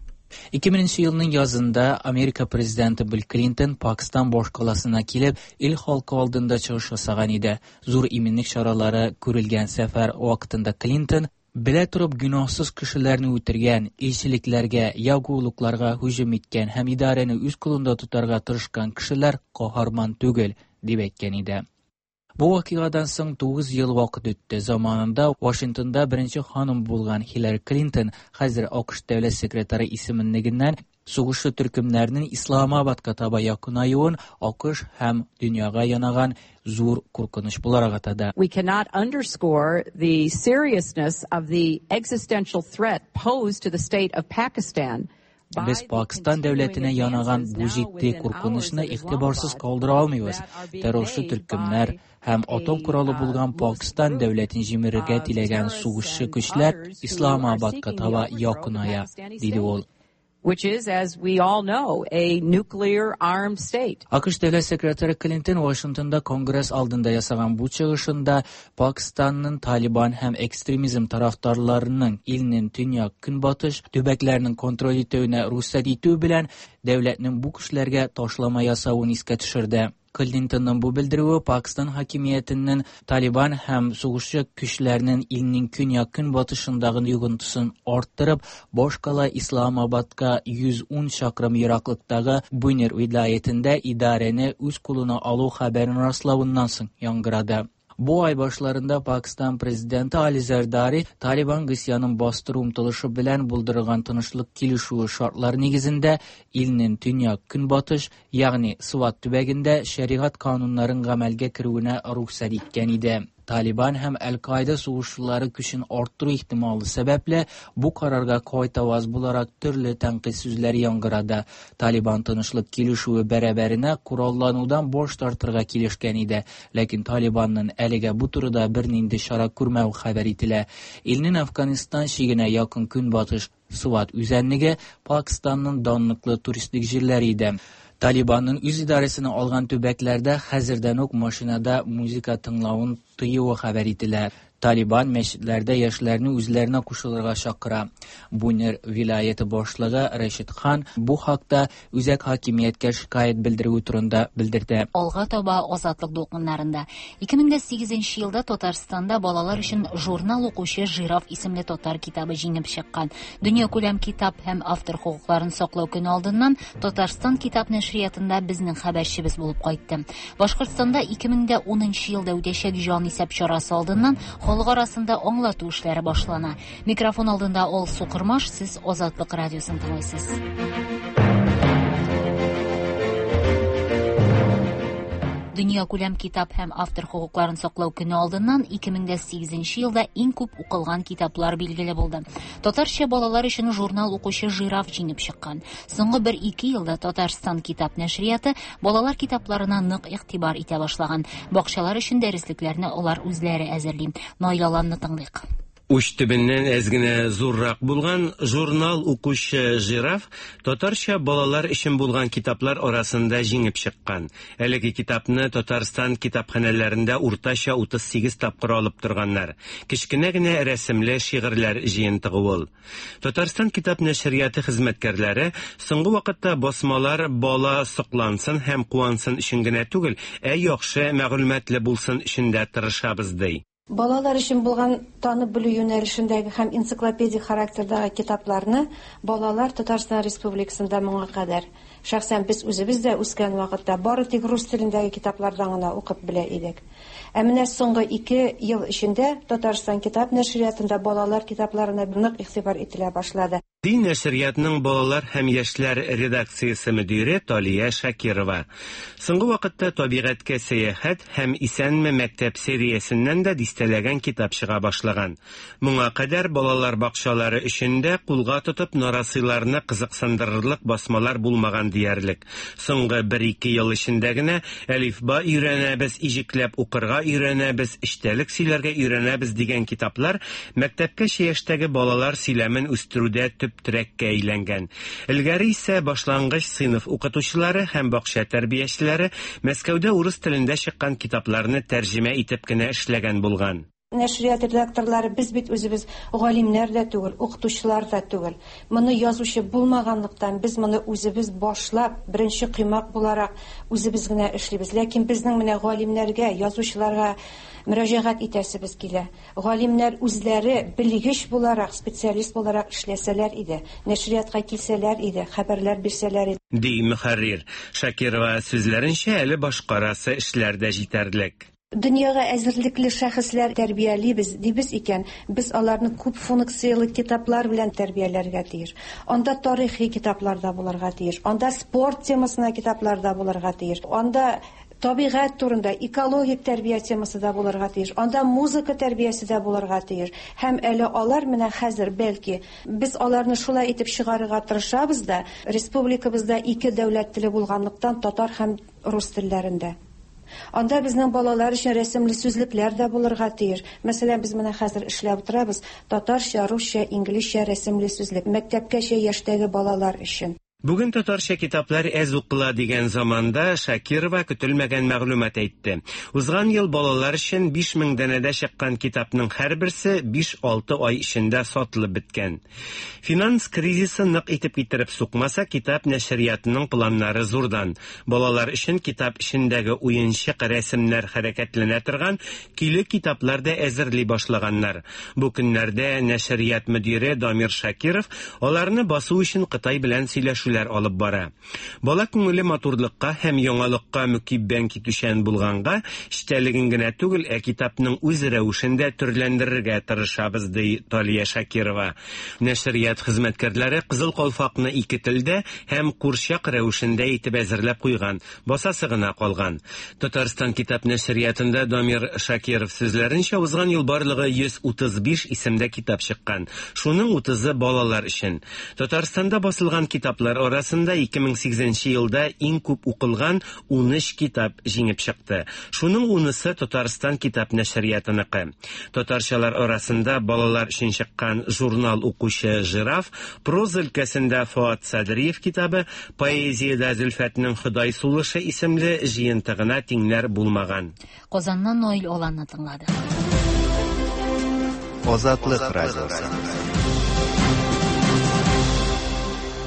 2000 елның язында Америка президенты Билл Клинтон Пакистан башкаласына килеп, ил халкы алдында чыгыш ясаган иде. Зур иминлек чаралары күрелгән сәфәр вакытында Клинтон белә торып гөнаһсыз кешеләрне үтергән, илчелекләргә, ягулыкларга һөҗүм иткән һәм идарәне үз кулында тотарга тырышкан кешеләр каһарман түгел, дип әйткән иде. Бу вакыйгадан соң 9 ел вакыт үтте. Заманында Вашингтонда беренче ханым булган Хиллари Клинтон хәзер АКШ дәүләт секретаре исемлегеннән сугышчы төркемнәрнең Исламабадка таба якынаюын АКШ һәм дөньяга янаган зур куркыныч буларак атады. We cannot underscore the seriousness of the existential threat posed to the state of Pakistan. Без Пакистан дәүләтенә янаган бу җитди куркынычны игътибарсыз калдыра алмыйбыз. Террорчы төркемнәр һәм атом коралы булган Пакистан дәүләтен җимерергә теләгән сугышчы көчләр Исламабадка таба якыная, диде ул. Which is, as we all know, a nuclear armed state. АКШ дәүләт секретаре Клинтон Вашингтонда Конгресс алдында ясаган бу чыгышында Пакистанның Талибан һәм экстремизм тарафдарларының илнең төньяк-көнбатыш төбәкләренең контроль итүенә рөхсәт итү белән дәүләтнең бу көчләргә ташлама ясавын искә төшерде. Клинтонның бу белдерүе Пакистан хакимиятенең Талибан һәм сугышчы көчләренең илнең көньяк-көнбатышындагы йогынтысын арттырып, башкала Исламабадка 110 чакрым ераклыктагы Бунер вилаятендә идарәне үз кулына алу хәбәрен раславыннан соң яңгырады. Бу ай башларында Пакистан президенты Али Зардари Талибан гыйсьянын бастыру омтылышы белән булдырылган тынычлык килешүе шартлары нигезендә илнең төньяк-көнбатыш, ягъни Сват төбәгендә шәригать кануннарын гамәлгә керүенә рөхсәт иткән иде. Талибан һәм Әл-Каида сугышчылары көчен арттыру ихтималы сәбәпле бу карарга кайтаваз буларак төрле тәнкыйть сүзләре яңгырады. Талибан тынычлык килешүе бәрабәренә коралланудан баш тартырга килешкән иде, ләкин Талибанның әлегә бу турыда бернинди чара күрмәве хәбәр ителә. Илнең Афганистан чигенә якын көнбатыш Сват үзәнлеге Пакистанның данлыклы туристик җирләре иде. Талибанның үз идарәсенә алган төбәкләрдә хәзердән үк машинада музыка тыңлавын тыюы хәбәр ителә. Талибан мәчетләрдә яшьләрне үзләренә кушылырга чакыра. Бунер вилаяте башлыгы Рәшид Хан бу хакта үзәк хакимияткә шикаять белдерүе турында белдерде. Алга таба Азатлык дулкыннарында. 2008 елда Татарстанда балалар өчен журнал укучы Жираф исемле татар китабы җиңеп чыккан. Дөньякүләм китап һәм автор хокукларын саклау көне алдыннан Татарстан китап нәшриятында безнең хәбәрчебез булып кайтты. Башкортстанда 2010 елда үтәчәк җанисәп чарасы алдыннан халык арасында аңлату эшләре башлана. Микрофон алдында Алсу Кормаш, сез Азатлык радиосын тыңлыйсыз. Дөньякүләм китап һәм автор хокукларын саклау көне алдыннан 2008 елда иң күп укылган китаплар билгеле булды. Татарча балалар өчен журнал укучы Жираф җиңеп чыккан. Соңгы бер-ике елда Татарстан китап нәшрияты балалар китапларына нык игътибар итә башлаган. Бакчалар өчен дәреслекләрне алар үзләре әзерли. Наил Аланны тыңлыйк. Уч төбеннән әз генә зуррак булган журнал укучы Жираф татарча балалар өчен булган китаплар арасында җиңеп чыккан. Әлеге китапны Татарстан китапханәләрендә уртача 38 тапкыр алып торганнар. Кечкенә генә рәсемле шигырьләр җыентыгы ул. Татарстан китап нәшрияты хезмәткәрләре соңгы вакытта басмалар бала соклансын һәм куансын өчен генә түгел, ә яхшы мәгълүматлы булсын өчен дә тырышабыз ди. Балалар өчен булган танып белү юнәлешендәге һәм энциклопедик характердагы китапларны балалар Татарстан Республикасында моңа кадәр, шәхсән без үзебез дә үскән вакытта, бары тик рус телендәге китаплардан гына укып белә идек. Ә менә соңгы 2 ел эчендә Татарстан китап нәшриятында балалар китапларына нык игътибар ителә башлады. Ди нәшриятның балалар һәм яшьләр редакциясе мөдире Талия Шакирова. Соңгы вакытта Табигатькә сәяхәт һәм Исәнме мәктәп сериясеннән дә дистәләгән китап чыга башлаган. Моңа кадәр балалар бакчалары өчен дә кулга тотып нарасыйларны кызыксындырырлык басмалар булмаган диярлек. Соңгы бер-ике ел эчендә генә Әлифба өйрәнәбез, иҗекләп укырга өйрәнәбез, эчтәлек сөйләргә өйрәнәбез дигән китаплар мәктәпкәчә яшьтәге балалар сөйләмен үстерүдә төп терәккә әйләнгән. Элгәре исә башлангыч сыйныф укытучылары һәм бакча тәрбиячеләре Мәскәүдә урыс телендә чыккан китапларны тәрҗемә итеп кенә эшләгән булган. Нәшрият редакторлары без бит үзебез галимнәр дә түгел, укытучылар да түгел. Моны язучы булмаганлыктан, без моны үзебез башлап, беренче коймак буларак үзебез генә эшлибез. Ләкин безнең менә галимнәргә, язучыларга мөрәҗәгать итәсебез килә. Галимнәр үзләре белгеч буларак, специалист буларак эшләсәләр иде, нәшриятка килсәләр иде, хәбәрләр бирсәләр иде. Ди мөхәррир. Шакирова сүзләренчә, әле башкарасы эшләр дә җитәрлек. Дөньяга әзерлекле шәхесләр тәрбиялибез дибез икән, без аларны күп функцияле китаплар белән тәрбияләргә тиеш. Анда тарихи китаплар да булырга тиеш, анда спорт темасына китаплар да булырга тиеш, анда табигать турында, экологик тәрбия темасы да булырга тиеш, анда музыка тәрбиясе дә булырга тиеш. Һәм әле алар менә хәзер бәлки без аларны шулай итеп чыгарырга тырышабыз да, республикабызда ике дәүләт теле булганлыктан татар һәм рус телләрендә. Анда безнең балалар өчен рәсемле сүзлекләр дә булырга тиеш. Мәсәлән, без менә хәзер эшләп утырабыз татарча, русча, инглизчә рәсемле сүзлек мәктәпкәчә яшьтәге балалар өчен. Бүген татарча китаплар әз укыла дигән заманда Шакирова көтелмәгән мәгълүмат әйтте. Узган ел балалар өчен 5000 данәдә чыккан китапның һәрберсе 5-6 ай эчендә сатылып беткән. Финанс кризисы нык итеп китереп сукмаса, китап нәшриятының планнары зурдан. Балалар өчен китап эчендәге уенчык рәсемнәр хәрәкәтләнә торган көйле китаплар да әзерли башлаганнар. Бу көннәрдә нәшрият мөдире Дамир Шакиров аларны басу өчен Кытай белән сөйләшүләр алып бара. Бала күңеле матурлыкка һәм яңалыкка мөкиббән китүчән булганга, эчтәлеген генә түгел, ә китапның үз рәвешен дә төрләндерергә тырышабыз, ди Талия Шакирова. Нәшрият хезмәткәрләре Кызыл калфакны ике телдә һәм курчак рәвешендә итеп әзерләп куйган, басасы гына калган. Татарстан китап нәшриятында Дамир Шакиров сүзләренчә, узган ел барлыгы 135 исемдә китап чыккан. Шуның 30-ы балалар өчен. Татарстанда басылган китаплар арасында 2008 елда иң күп укылган 13 китап җиңеп чыкты. Шуның 10-сы Татарстан китап нәшриятыныкы. Татарчалар арасында балалар өчен чыккан журнал укучы Жираф, проза өлкәсендә Фоат Садриев китабы, поэзиядә Зөлфәтнең Ходай сулышы исемле җыентыгына тиңнәр булмаган. Казаннан Наил Аланны тыңлады. Азатлык радиосы.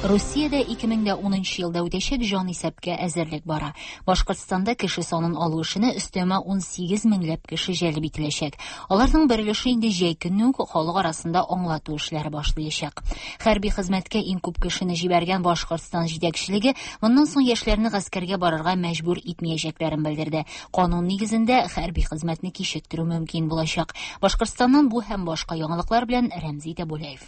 Русиядә 2010 елда үтәчәк җанисәпкә әзерлек бара. Башкортстанда кеше санын алу эшенә өстәмә 18 меңләп кеше җәлеп ителәчәк. Аларның бер өлеше инде җәй көне үк халык арасында аңлату эшләре башлаячак. Хәрби хезмәткә иң күп кешене җибәргән Башкортстан җитәкчелеге моннан соң яшьләрне гаскәргә барырга мәҗбүр итмәячәкләрен белдерде. Канун нигезендә хәрби хезмәтне кичектерү мөмкин булачак. Башкортстаннан бу һәм башка яңалыклар белән Рәмзи Тәбүләев.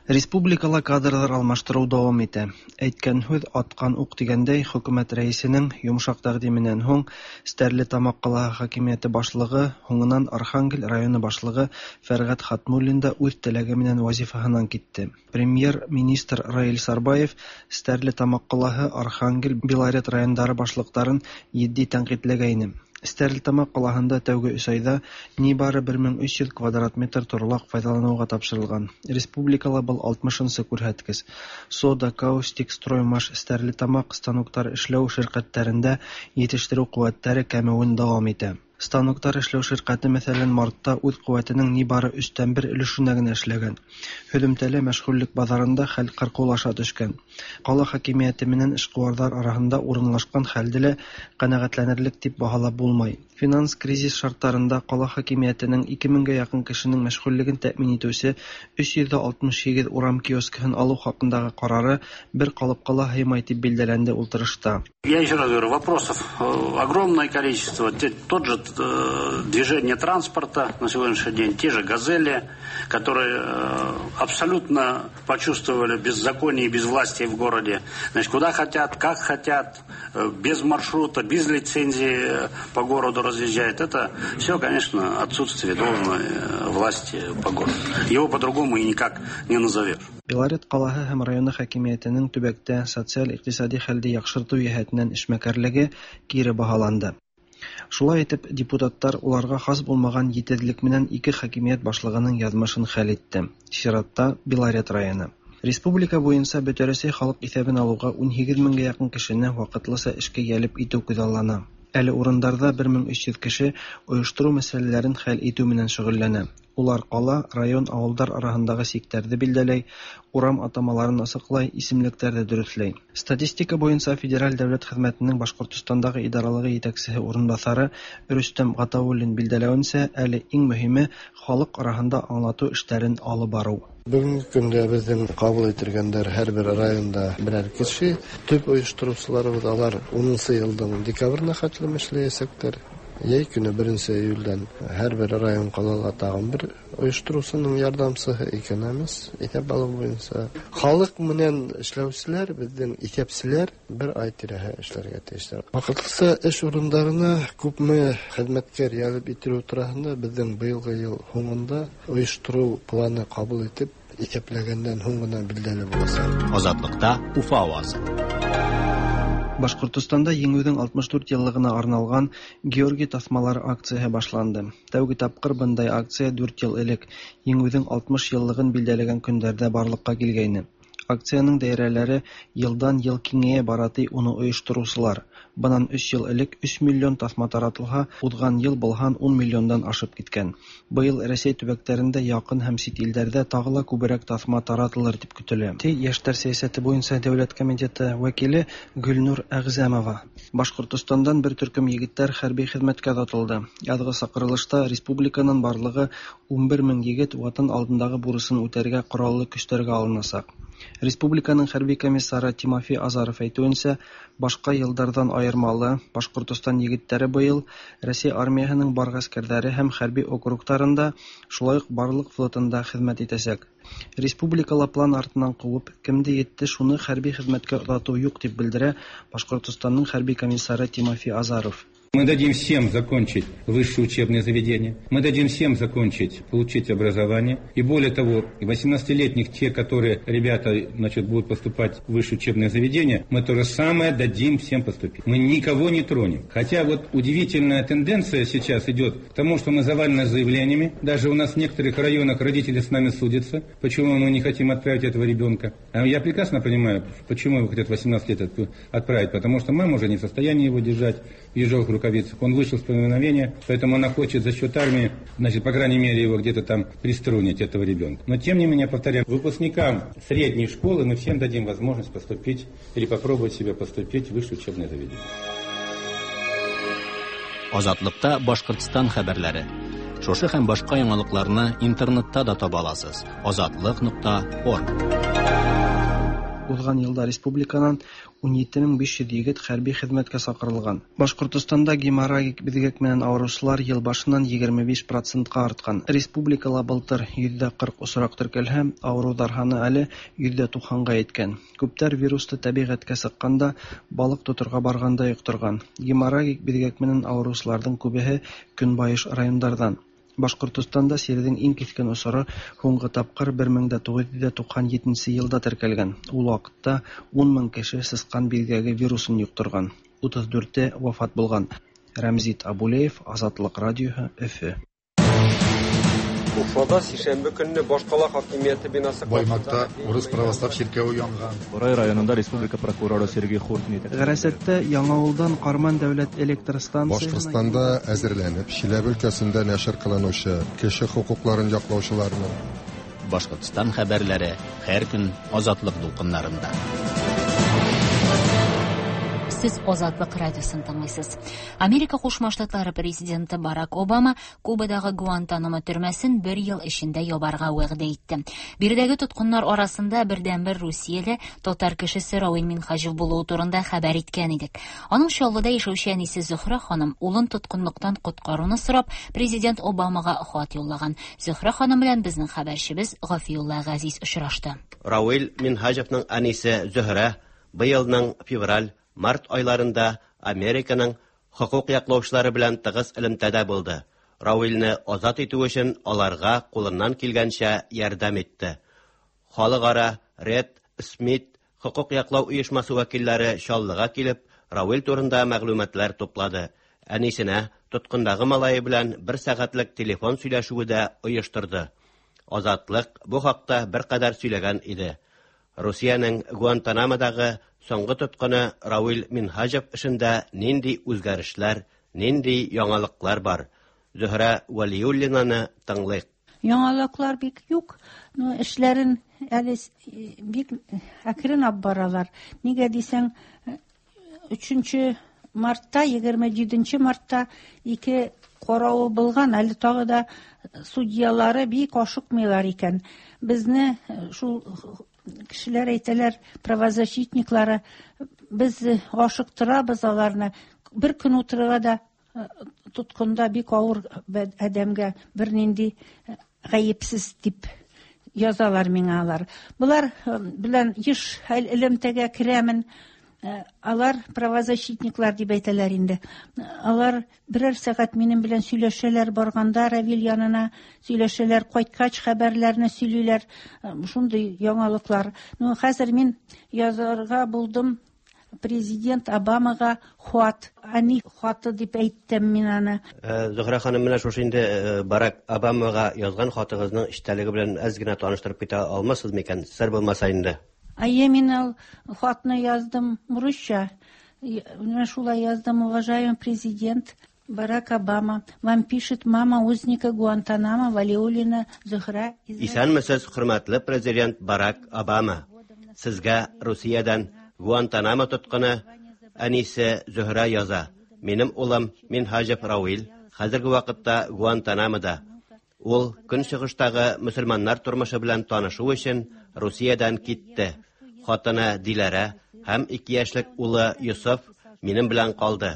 Республикала кадрлар алмаштыру дәвам итә. Әйткән һүҙ аткан уҡ тигәндәй, хөкүмәт рәисенең йомшаҡ тәҡдименән һуң Стәрлетамаҡ ҡалаһы хакимиәте башлығы, һуңынан Архангел районы башлығы Фәрғәт Хатмуллин да үҙ теләге менән вазифаһынан китте. Премьер-министр Раил Сарбаев Стәрлетамаҡ ҡалаһы, Архангел, Белорет райондары башлыҡтарын етди тәнҡитләгәйне. Стәрлетамаҡ ҡалаһында тәүге өс айҙа ни бары 1300 квадрат метр торлаҡ файҙаланыуға тапшырылған. Республикала был 60-нсы күрһәткес. Сода, Каустик, Строймаш, Стәрлетамаҡ станоктар эшләү ширҡәттәрендә етештереү ҡеүәттәре кәмеүен дауам итә. Станоктар эшләү ширҡәте, мәҫәлән, мартта үҙ ҡеүәтенең ни бары 1/3 өлөшөнә генә эшләгән. Һөҙөмтәлә мәшғүллек баҙарында хәл ҡырҡыулаша төшкән. Ҡала хакимиәте менән эшҡыуарҙар араһында урынлашҡан хәлде лә ҡәнәғәтләнерлек тип баһалап булмай. Финанс кризис шартларында кала хакимиятенең 2 меңгә якын кешенең мәшгульлеген тәэмин итүче 368 урам киоскыһын алу хакындагы карары бер калыпка ла һыймай дип билдәләнде ултырышта. Я еще раз говорю, вопросов огромное количество. Тот же движение транспорта на сегодняшний день, те же «Газели», которые абсолютно почувствовали беззаконие и безвластие в городе. Значит, куда хотят, как хотят, без маршрута, без лицензии по городу разъезжают. Это все, конечно, отсутствие должной власти по городу. Его по-другому и никак не назовешь. Белорет калаһы һәм районы хакимиятенең төбәктә социаль-икътисади хәлде яхшырту йәһәтеннән эшмәкәрлеге кире баһаланды. Шулай итеп, депутаттар уларга хас булмаган җитезлек менән ике хакимият башлыгының язмышын хәл итте. Чиратта Белорет районы. Республика буенча Бөтәрәсәй халык исәбен алуга 18 меңгә якын кешене вакытлыча эшкә җәлеп итү күзаллана. Әле урындарда 1300 кеше оештыру мәсьәләләрен хәл итү менән шөгыльләнә. Улар кала, район, авылдар араһындагы сиктәрҙе билдәләй, урам атамаларын асыҡлай, исемлектәрҙе дөрөҫләй. Статистика буйынса Федераль дәүләт хеҙмәтенең Башҡортостандағы идаралығы етәксеһе урынбаҫары Рөстәм Ғатауллин билдәләүенсә, әле иң мөһиме халыҡ араһында аңлатыу эштәрен алып барыу. Бөгөнгө көндә беҙҙең ҡабул ителгәндәр һәр бер районда берәр кеше. Төп ойоштороусыларыбыҙ алар 10 йылдың декабренә хәтлем эшләйәсәктәр. Йәй көнө 1 июлдән һәр бер район ҡалала тағын бер ойоштороусының ярҙамсыһы икәнәмез иҫәп алыу буйынса. Халыҡ менән эшләүселәр, беҙҙең иҫәпселәр бер ай тирәһе эшләргә тейештәр. Ваҡытлыса эш урындарына күпме хеҙмәткәр йәлеп ителеү тураһында беҙҙең быйылғы йыл һуңында ойоштороу планы ҡабул итеп, иҫәпләгәндән һуң ғына билдәле буласаҡ. Азатлыкта Уфа авазы. Башҡортостанда Еңеүҙең 64 йыллығына арналған Георгий таҫмалары акцияһы башланды. Тәүге тапҡыр бындай акция 4 йыл элек Еңеүҙең 60 йыллығын билдәләгән көндәрҙә барлыҡҡа килгәйне. Акцияның даирәләре йылдан йыл киңәйә бара, ти уны ойоштороусылар. Бынан 3 йыл элек 3 миллион таҫма таратылһа, уҙған йыл был һан 10 миллиондан ашып киткән. Быйыл Рәсәй төбәктәрендә, яҡын һәм сит илдәрҙә тағы ла күберәк таҫма таратылыр тип көтөлә. Ти Йәштәр сәйәсәте буйынса дәүләт комитеты вәкиле Гөлнур Әғзәмова. Башҡортостандан бер төркөм егеттәр хәрби хеҙмәткә оҙатылды. Яҙғы саҡырылышта республиканан барлығы 11 мең егет ватан алдындағы бурысын үтәргә ҡораллы көстәргә алынасаҡ. Республиканың хәрби комиссары Тимофей Азаров әйтеүенсә, башҡа йылдарҙан айырмалы Башҡортостан егеттәре быйыл Рәсәй армияһының бар ғәскәрҙәре һәм хәрби округтарында, шулай уҡ барлыҡ флотында хеҙмәт итәсәк. Республикала план артынан ҡыуып, кемде етте шуны хәрби хеҙмәткә оҙатыу юҡ, тип белдерә Башҡортостандың хәрби комиссары Тимофей Азаров. Мы дадим всем закончить высшее учебное заведение, мы дадим всем закончить, получить образование. И более того, 18-летних, те, которые ребята, значит, будут поступать в высшее учебное заведение, мы то же самое дадим всем поступить. Мы никого не тронем. Хотя вот удивительная тенденция сейчас идет к тому, что мы завалены заявлениями. Даже у нас в некоторых районах родители с нами судятся, почему мы не хотим отправить этого ребенка. А я прекрасно понимаю, почему его хотят 18 лет отправить, потому что мама уже не в состоянии его держать в ежовых рукавицах. Он вышел с повиновения, поэтому она хочет за счет армии, значит, по крайней мере, его где-то там приструнить, этого ребенка. Но, тем не менее, повторяю, выпускникам средней школы мы всем дадим возможность поступить или попробовать себя поступить в высшее учебное заведение. Азатлыкта Башкортстан хәбәрләре. Шушы һәм башка яңалыкларны интернетта да таба аласыз. Азатлык.орг. Уҙған йылда республиканан 17500 егет хәрби хеҙмәткә саҡырылған. Башҡортостанда геморрагик биҙгәк менән ауырыусылар йыл башынан 25%-ҡа артҡан. Республикала былтыр 40% осраҡ теркәлһә, ауырыуҙар һаны әле 90%-ға еткән. Күптәр вирусты тәбиғәткә сыҡҡанда, балыҡ тоторға барғанда йоҡторған. Геморрагик биҙгәк менән ауырыусыларҙың күбеһе көнбайыш райондарҙан. Башҡортостанда сирҙең иң киҫкен осоро һуңғы тапҡыр 1997 йылда теркәлгән. Ул ваҡытта 10 мең кеше сысҡан биҙгәге вирусын йоҡторған, 34-е вафат булған. Рәмзит Абулеев, Азатлыҡ радиоһы, Өфө. Уфада сишәмбе көнне башҡала хакимиәте бинасы Баймакта урыс православ чиркәве янган. Борай районында республика прокуроры Сергей Хуртин. Ғәрәсәттә Яңауылдан Ҡарман дәүләт электр станцияһына Башҡортостанда әҙерләнеп, Чиләбе өлкәсендә нәшер ҡылыныусы кеше хоҡуҡларын яҡлаусыларының Башҡортостан хәбәрләре һәр көн Азатлыҡ дулҡыннарында. Сез Азатлык радиосын тыңлыйсыз. Америка Кушма Штатлары президенты Барак Обама Кубадагы Гуантанамо төрмәсен бер ел эчендә ябарга вәгъдә итте. Биредәге тоткыннар арасында бердәнбер русияле татар кешесе Равил Минһаҗев булуы турында хәбәр иткән идек. Аның Чаллыда яшәүче әнисе Зөһрә ханым улын тоткынлыктан коткаруны сорап президент Обамага хат юллаган. Зөһрә ханым белән безнең хәбәрчебез Гафиулла Газиз очрашты. Равил Минһаҗевның әнисе Зөһрә быелның февраль, март айларында Американың хокук яклаучылары белән тыгыз элемтәдә булды. Равилне азат итү өчен аларга кулыннан килгәнчә ярдәм итте. Халыкара Ред Смит хокук яклау оешмасы вәкилләре Чаллыга килеп, Равил турында мәгълүматлар туплады. Әнисенә тоткындагы малае белән бер сәгатьлек телефон сөйләшүе дә оештырды. Азатлык бу хакта беркадәр сөйләгән иде. Русиянең Гуантанамодагы соңгы тоткыны Равил Минһаҗев эшендә нинди үзгәрешләр, нинди яңалыклар бар? Зөһрә Вәлиуллинаны тыңлыйк. Яңалыклар бик юк, но эшләрен әле бик әкрен алып баралар. Нигә дисәң, 3 мартта, 27 мартта ике каравы булган, әле тагы да судьялары бик ашыкмыйлар икән. Безне шул кешеләр әйтәләр, правозащитниклары, без ашыктырабыз аларны. Бер көн утырырга да тоткында бик авыр адәмгә, бернинди гаепсез дип язалар миңа алар. Болар белән еш элемтәгә керәмен. Алар правозащитниклар дип әйтәләр инде. Алар берәр сәгать минем белән сөйләшәләр барганда Равил янына, сөйләшәләр, кайткач хәбәрләрне сөйлиләр. Шундый яңалыклар. Ну, хәзер мин язарга булдым президент Обамага хат, әни хаты дип әйттем мин аны. Зөһрә ханым, менә шушы инде Барак Обамага язган хатыгызның эчтәлеге белән әз генә таныштырып китә алмассыз микән, сер булмаса инде? Әйе, мин ул хатны яздым русча. Менә шулай яздым: уважаемый президент Барак Обама, вам пишет мама узника Гуантанамо Валиуллина Зөһрә. Исәнмесез, хөрмәтле президент Барак Обама. Сезгә Русиядән Гуантанамо тоткыны әнисе Зөһрә яза. Минем улым Минһаҗев Равил хәзерге вакытта Гуантанамода. Ул көнчыгыштагы мөселманнар тормышы белән танышу өчен Русиядән китте. Хатыны Диләрә һәм 2 яшьлек улы Йосыф минем белән калды.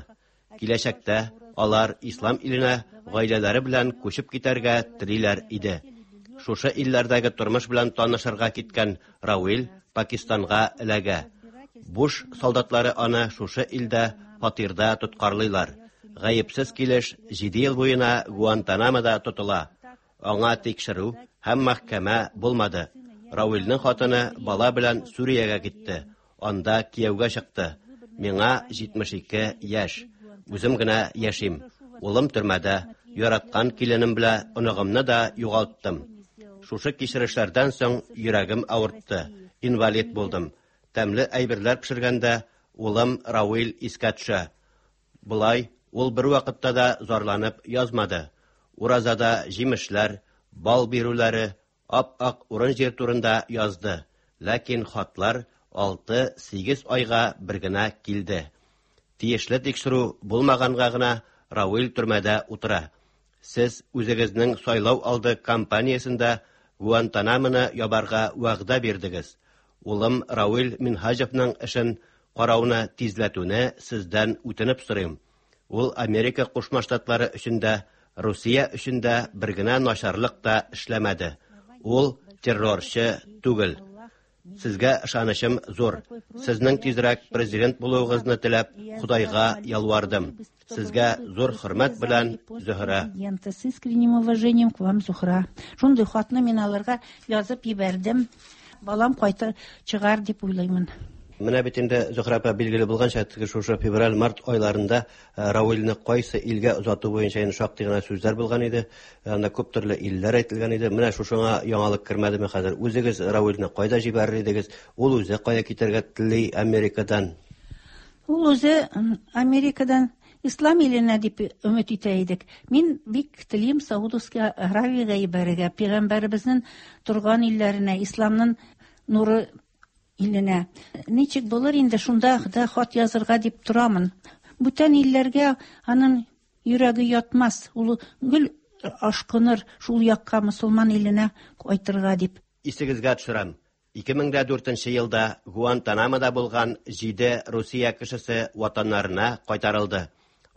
Киләчәктә алар ислам иленә гаиләләре белән күчеп китәргә телиләр иде. Шушы илләрдәге тормыш белән танышырга киткән Равил Пакистанга эләгә. Буш солдатлары аны шушы илдә фатирда тоткарлыйлар. Гаепсез килеш 7 ел буена Гуантанамода тотыла. Аңа тикшерү һәм мәхкәмә булмады. Равилнең хатыны бала белән Сүриягә китте. Анда кияүгә чыкты. Миңа 72 яшь. Үзем генә яшим. Улым төрмәдә, яраткан киленем белән оныгымны да югалттым. Шушы кичерешләрдән соң йөрәгем авыртты. Инвалид булдым. Тәмле әйберләр пешергәндә улым Равил искә төшә. Болай ул бер вакытта да зарланып язмады. Уразада җимешләр, бал бирүләре, ап-ак урын-җир турында язды. Ләкин хатлар 6-8 айга бер генә килде. Тиешле тикшерү булмаганга гына Равил төрмәдә утыра. Сез үзегезнең сайлау алды кампаниясендә Гуантанамоны ябарга вәгъдә бирдегез. Улым Равил Минһаҗевның эшен карауны тизләтүне сездән үтенеп сорыйм. Ул Америка Кушма Штатлары өчен дә, Русия өчен дә бер генә начарлык та эшләмәде. Ул террорчы түгел. Сезгә ышанычым зур. Сезнең тизрәк президент булуыгызны теләп, Худайга ялвардым. Сезгә зур хөрмәт белән, Зөһрә. С искренним уважением к вам, Зухра. Шундый хатны мин аларга язып җибәрдем. Балам кайтыр чыгар дип уйлыймын. Менә бит инде, Зөһрә апа, билгеле булганча, теге шушы февраль-март айларында Равилне кайсы илгә озату буенча инде шактый гына сүзләр булган иде. Анда күп төрле илләр әйтелгән иде. Менә шушыңа яңалык кермәдеме хәзер? Үзегез Равилне кайда җибәрер идегез? Ул үзе кая китәргә тели Америкадан? Ул үзе Америкадан Ислам иленә дип өмет итә идек. Мин бик телим Саудовский Аравиягә җибәрергә, пәйгамбәребезнең торган илләренә, исламның нуры иленә. Ничек булыр инде, шунда да хат язырга дип торамын. Бүтән илләргә аның йөрәге ятмас, ул гел ашкыныр шул якка, мөселман иленә кайтырга дип. Исегезгә төшерәм, 2004 елда Гуантанамода булган 7 Русия кешесе ватаннарына кайтарылды.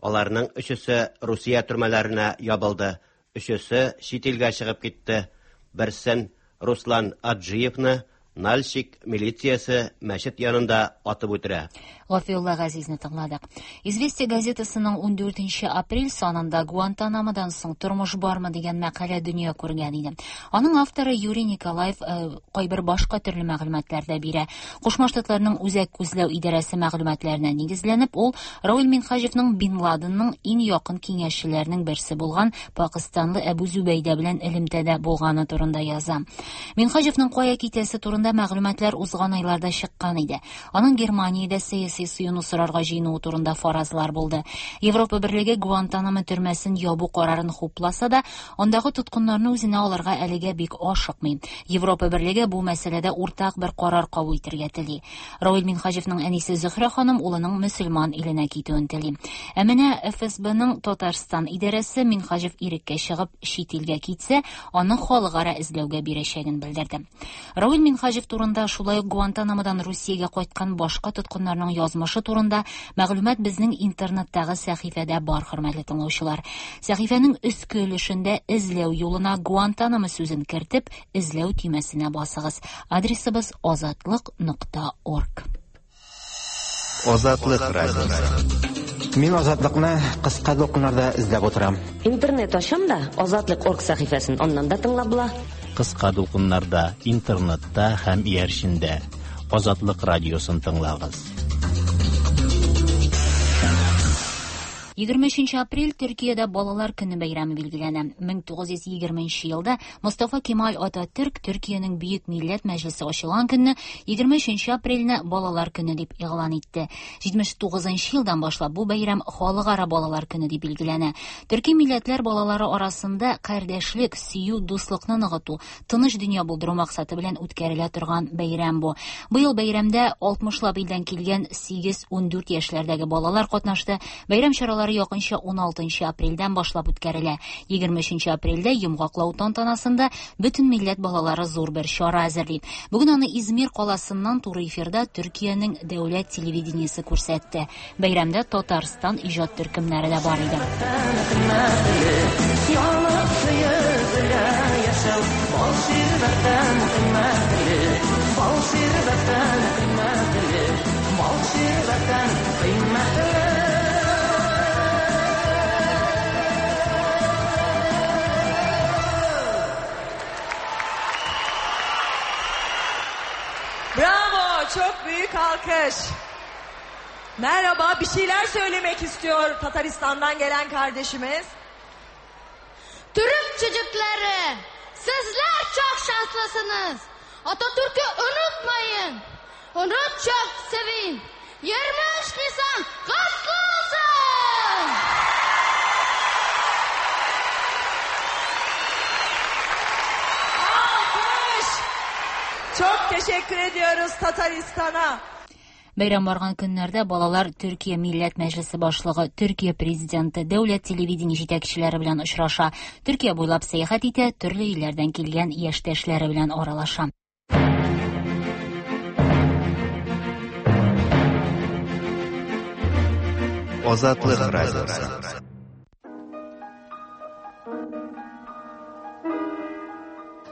Аларның өчесе Русия төрмәләренә ябылды, өчесе чит илгә чыгып китте. Берсен, Руслан Аджиевны, Нальчик милициясе мәчет янында атып үтерә. Гафиулла Газизне тыңладык. Известия газетасының 14 апрель санында Гуантанамодан соң тормыш бармы дигән мәкалә дөнья күргән иде. Аның авторы Юрий Николаев кайбер башка төрле мәгълүматлар да бирә. Кушма Штатларның Үзәк күзләү идарәсе мәгълүматларына нигезләнеп, ул Равил Минһаҗевның Бин Ладенның иң якын киңәшчеләренең берсе булган пакистанлы Әбу Зүбәйдә белән элемтәдә булганы турында яза. Минһаҗевның кая китәсе турында мәгълүматлар узган айларда чыккан иде. Аның Германиядә сәяси сыену сорарга җыенуы турында фаразлар булды. Европа Берлеге Гуантанамо төрмәсен ябу карарын хупласа да, андагы тоткыннарны үзенә алырга әлегә бик ашыкмый. Европа Берлеге бу мәсьәләдә уртак бер карар кабул итәргә тели. Равил Минһаҗевның әнисе Зөһрә ханым улының мөселман иленә китүен тели. Ә менә ФСБның Татарстан идарәсе Минһаҗев иреккә чыгып чит илгә китсә, аны халыкара эзләүгә бирәчәген белдерде. Равил Минһаҗев турында, шулай ук Гуантанамодан Русиягә кайткан башка тоткыннарның язмышы турында мәгълүмат безнең интернеттагы сәхифәдә бар, хөрмәтле тыңлаучылар. Сәхифәнең өске өлешендә эзләү юлына Гуантанамо сүзен кертеп, эзләү төймәсенә басыгыз. Адресыбыз азатлык.орг. Азатлык радиосы. Мин Азатлыкны кыска дулкыннарда эзләп утырам. Интернет ачам да, Азатлык орг сәхифәсен аннан да тыңлап була. Кыска дулкыннарда, интернетта һәм иярчендә Азатлык радиосын тыңлагыз. 23 апрель Төркиядә Балалар көне бәйрәме билгеләнә. 1920 елда Мостафа Кемаль Ататүрк Төркиянең Бөек Милләт Мәҗлесе ачылган көнне 23 апрельне Балалар көне дип игълан итте. 79 елдан башлап бу бәйрәм Халыкара балалар көне дип билгеләнә. Төрки милләтләр балалары арасында кардәшлек, сөю, дуслыкны ныгыту, тыныч дөнья булдыру максаты белән үткәрелә торган бәйрәм бу. Быел бәйрәмдә 60лап илдән килгән 8-14 яшьләрдәге балалар катнашты. Бәйрәм чаралары якынча 16 апрельдән башлап үткәрелә. 23 апрельдә йомгаклау тантанасында бөтен милләт балалары зур бер чара әзерли. Бүген аны Измир каласыннан туры эфирда Төркиянең дәүләт телевидениесе күрсәтте. Бәйрәмдә Татарстан иҗат төркемнәре дә бар иде. Bravo, çok büyük alkış. Merhaba, bir şeyler söylemek istiyor Tataristan'dan gelen kardeşimiz. Türk çocukları, sizler çok şanslısınız. Atatürk'ü unutmayın. Onu çok sevin. 23 Nisan kutlu olsun. Alkış. Çok teşekkür ediyoruz Tataristan'a. Бәйрәм барган көннәрдә балалар Төркия Милләт Мәҗлесе башлыгы, Төркия президенты, дәүләт телевидение җитәкчеләре белән очраша. Төркия буйлап сәяхәт итә, төрле илләрдән килгән яшьтәшләре белән аралаша. Азатлык радиосы.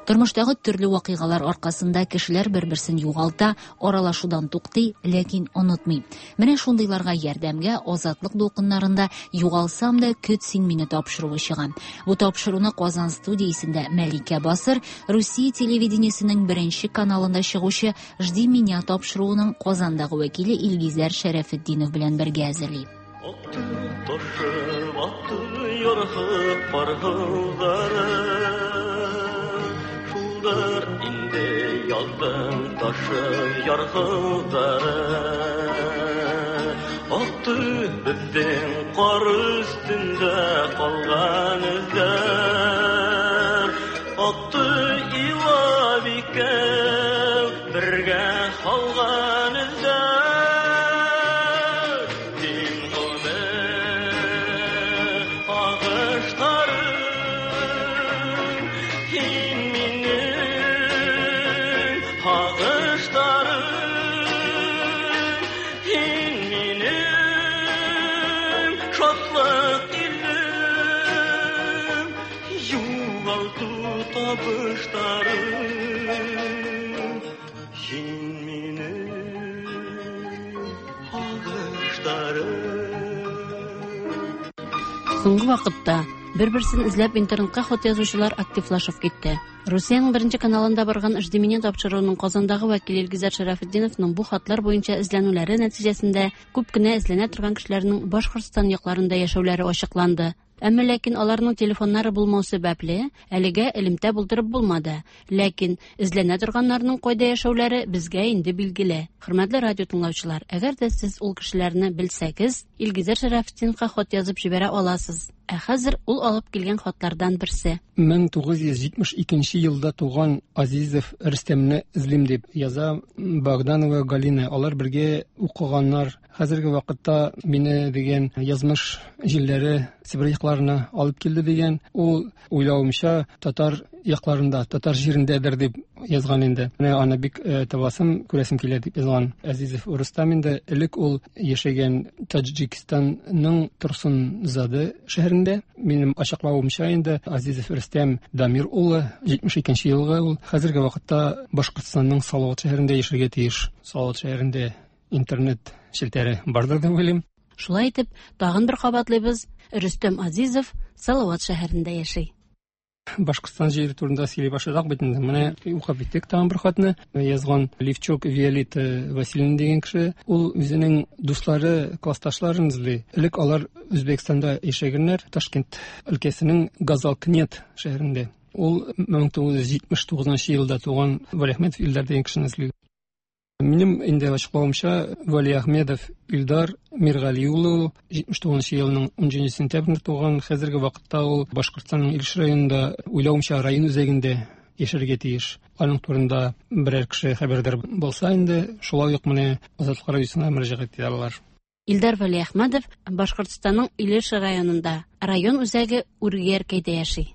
Тормыштагы төрле вакыйгалар аркасында кешеләр бер-берсен югалта, аралашудан туктый, ләкин онытмый. Менә шундыйларга ярдәмгә Азатлык дулкыннарында Югалсам да көт син мине тапшыруы чыга. Бу тапшыруны Казан студиясендә Мәликә Басыр, Русия телевидениесенең беренче каналында чыгучы Жди меня тапшыруының Казандагы вәкиле Илгизәр Шәрәфетдинов белән бергә әзерли. Акты, ташып акты, ярһып пар Шулдыр инде яздың ташып ярһылдары. Акты безнең кар өстендә калган эзләр. Акты илап икәү Бергә калган эздә. Син гомер агышларым, Һин минем агышларым, Һин минем шатлык илем, Югалту табышларым. Һин минем агышларым. Соңгы вакытта бер-берсен эзләп интернетка хат язучылар активлашып китте. Русиянең беренче каналында барган «Жди меня» тапшыруының Казандагы вәкиле Илгизәр Шәрәфетдиновның бу хатлар буенча эзләнүләре нәтиҗәсендә күп кенә эзләнә торган кешеләрнең Башкортстан якларында яшәүләре ачыкланды. Әмма ләкин аларның телефоннары булмау сәбәпле, әлегә элемтә булдырып булмады. Ләкин эзләнә торганнарның кайда яшәүләре безгә инде билгеле. Хөрмәтле радио тыңлаучылар, әгәр дә сез ул кешеләрне белсәгез, Илгизәр Шәрәфетдиновка хат язып җибәрә аласыз. Ә хәзер ул алып килгән хатлардан берсе. 1972 елда туган Азизов Рөстәмне эзлим дип яза Богданова Галина. Алар бергә укыганнар. Хәзерге вакытта мине дигән язмыш җилләре Себер якларына алып килде дигән. Ул уйлавымча татар якларында, татар җирендәдер дип язган инде. Менә аны бик табасым, күрәсем килә дип язган Азизов Рөстәм инде. Элек ул яшәгән Таджикистанның Турсунзаде шәһәрендә. Минем ачыклавымча инде Азизов Рөстәм Дамир улы 72 елгы ул. Хәзерге вакытта Башкортстанның Салават шәһәрендә яшәргә тиеш. Салават шәһәрендә интернет челтәре бардыр дип уйлыйм. Шулай итеп, тагын бер кабатлыйбыз, Рөстәм Азизов Салават шәһәрендә яши. Башкортстан җире турында сөйли башладык бит инде. Менә укып киттек тагын бер хатны. Язган Левчук Виолетта Васильевна дигән кеше. Ул үзенең дуслары, классташларын эзли. Элек алар Үзбәкстанда яшәгәннәр, Ташкент өлкәсенең Газалкнет шәһәрендә. Ул 1979 елда туган Валиахметов Илдар дигән кешене эзли. Минем инде ачыклавымча, Валиахмедов Илдар Миргали улы 79 елның 17 сентябрендә туган. Хәзерге вакытта ул Башкортстанның Илеш районында, уйлавымча, район үзәгендә яшәргә тиеш. Аның турында берәр кеше хәбәрдар булса инде, шулай ук менә Азатлык радиосына мөрәҗәгать итә алалар. Илдар Валиахмедов Башкортстанның Илеш районында, район үзәге Үргәркәйдә яши.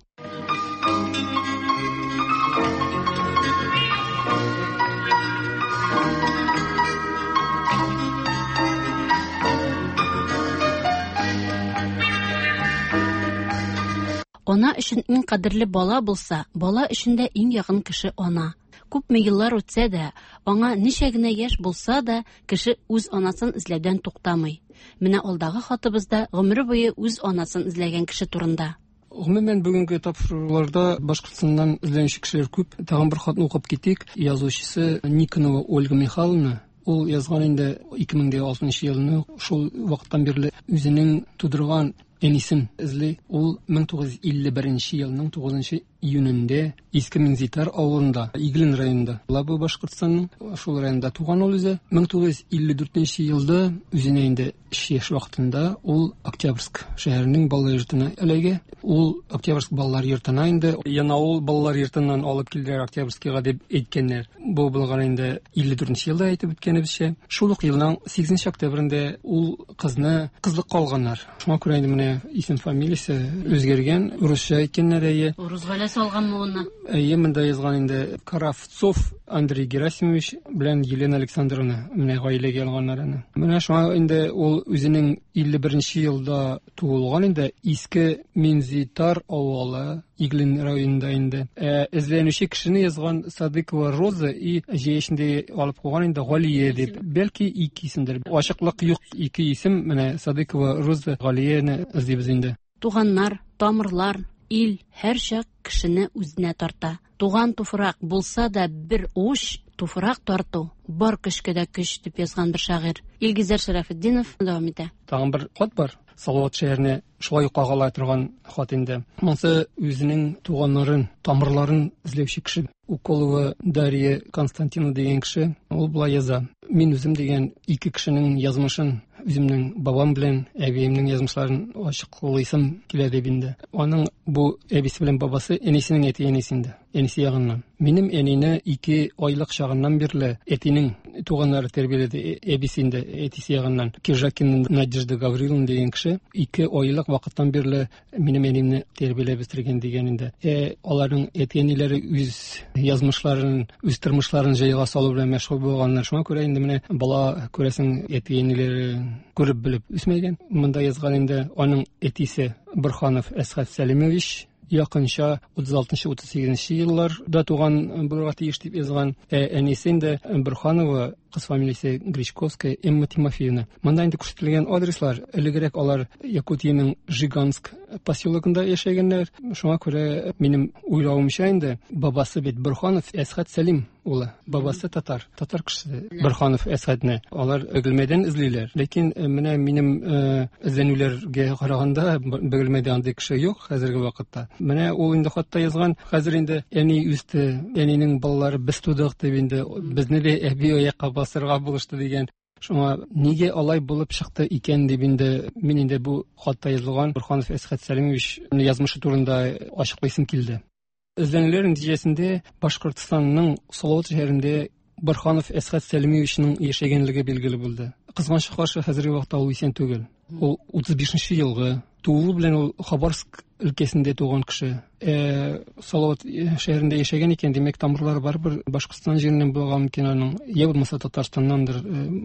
Ана өчен иң кадерле бала булса, бала өчен дә иң якын кеше ана. Күпме еллар үтсә дә, аңа ничә генә яшь булса да, кеше үз анасын эзләүдән туктамый. Менә алдагы хатыбызда гомере буе үз анасын эзләгән кеше турында. Гомумән, бүгенге тапшыруларда Башкортстаннан эзләнүче кешеләр күп. Тагын бер хатны укып китик. Язучысы Никонова Ольга Михайловна. Ул язган инде 2006 елны, шул вакыттан бирле үзенең тудырган әнисен эзли. Ул 1951 елның 9 июнендә Иске Минзитар авылында, Иглин районында. Була бу Башкортстанның шул районында туган ул үзе. 1954 елда үзенә инде 3 яшь вакытында ул Октябрьск шәһәренең балалар йортына эләгә. Ул Октябрьск балалар йортына инде Янаул балалар йортыннан алып килделәр Октябрьскийга дип әйткәннәр. Бу булган инде 54 елда әйтеп үткәнебезчә. Шул ук елның 8 октябрендә ул кызны кызлыкка алганнар. Шуңа күрә инде менә исем фамилиясе үзгәргән, русча әйткәннәр әйе. Урыс гаиләсе алганмы уны? Әйе, монда язган инде Кравцов Андрей Герасимович белән Елена Александровна менә гаиләгә алганнар аны. Менә шуңа инде ул үзенең 51 елда туылган инде Иске Минзитар авылы Иглин районында инде. Эзләнүче кешене язган Садыкова Роза и җәй эчендә алып куйган инде Галия дип. Бәлки ике исемдер. Ачыклык юк, ике исем менә Садыкова Роза Галияне эзлибез инде. Туганнар, тамырлар, ил һәрчак кешене үзенә тарта. Туган туфрак булса да бер уч, туфрак тарту бар көчкә дә көч дип язган бер шагыйрь. Илгизәр Шәрәфетдинов дәвам итә. Тагын бер хат бар. Салават шәһәренә шулай ук кагыла торган хат инде. Монсы үзенең туганнарын, тамырларын эзләүче кеше. Уколова Дарья Константинова дигән кеше. Ул болай яза. Мин үзем дигән ике кешенең язмышын Үземнең бабам белән әбиемнең язмышларын ачыклыйсым килә дип инде. Аның бу әбисе белән бабасы әнисенең әти-әнисе инде, әнисе ягыннан. Минем әнине 2 айлык чагыннан бирле әтинең туганнары тәрбияләде, әбисе инде әтисе ягыннан. Киржакина Надежда Гавриловна дигән кеше 2 айлык вакыттан бирле минем әниемне тәрбияләп үстергән дигән инде. Аларның әти-әниләре үз язмышларын, үз тормышларын җайга салу белән мәшгуль булганнар. Шуңа күрә инде менә бала, күрәсең, әти-әниләре күреп белеп үсмәгән. Монда язган инде аның әтисе Борһанов Әсхәт Сәлимович якынча 36-38 елларда туган булырга тиеш дип язган. Әнисе инде Борһанова, кыз фамилиясе Гречковская, Эмма Тимофеевна. Монда инде күрсәтелгән адреслар, элегрәк алар Якутиянең Жиганск поселогында яшәгәннәр. Шуңа күрә минем уйлавымча инде бабасы бит Борһанов Әсхәт Сәлим улы. Бабасы татар, татар кешесе Борһанов Әсхәтне. Алар Бөгелмәдән эзлиләр. Ләкин менә минем эзләнүләргә караганда Бөгелмәдә андый кеше юк хәзерге вакытта. Менә ул инде хатта язган, хәзер инде әни үсте, әнинең балалары без тудык дип инде безне дә әби аякка басырга булышты дигән. Шуңа нигә алай булып чыкты икән дип инде мин инде бу хатта язылган Борһанов Әсхәт Сәлимович язмышы турында ачыклыйсым килде. Эзләнүләр нәтиҗәсендә Башкортстанның Салават шәһәрендә Борһанов Әсхәт Сәлимовичның яшәгәнлеге билгеле булды. Кызганычка каршы, хәзерге вакытта ул исән түгел. Ул 35 елгы тууы белән ул Хабаровск өлкәсендә туган кеше. Салават шәһәрендә яшәгән икән, димәк, тамырлары барыбер Башкортстан җиреннән булырга мөмкин аның, я булмаса Татарстаннандыр.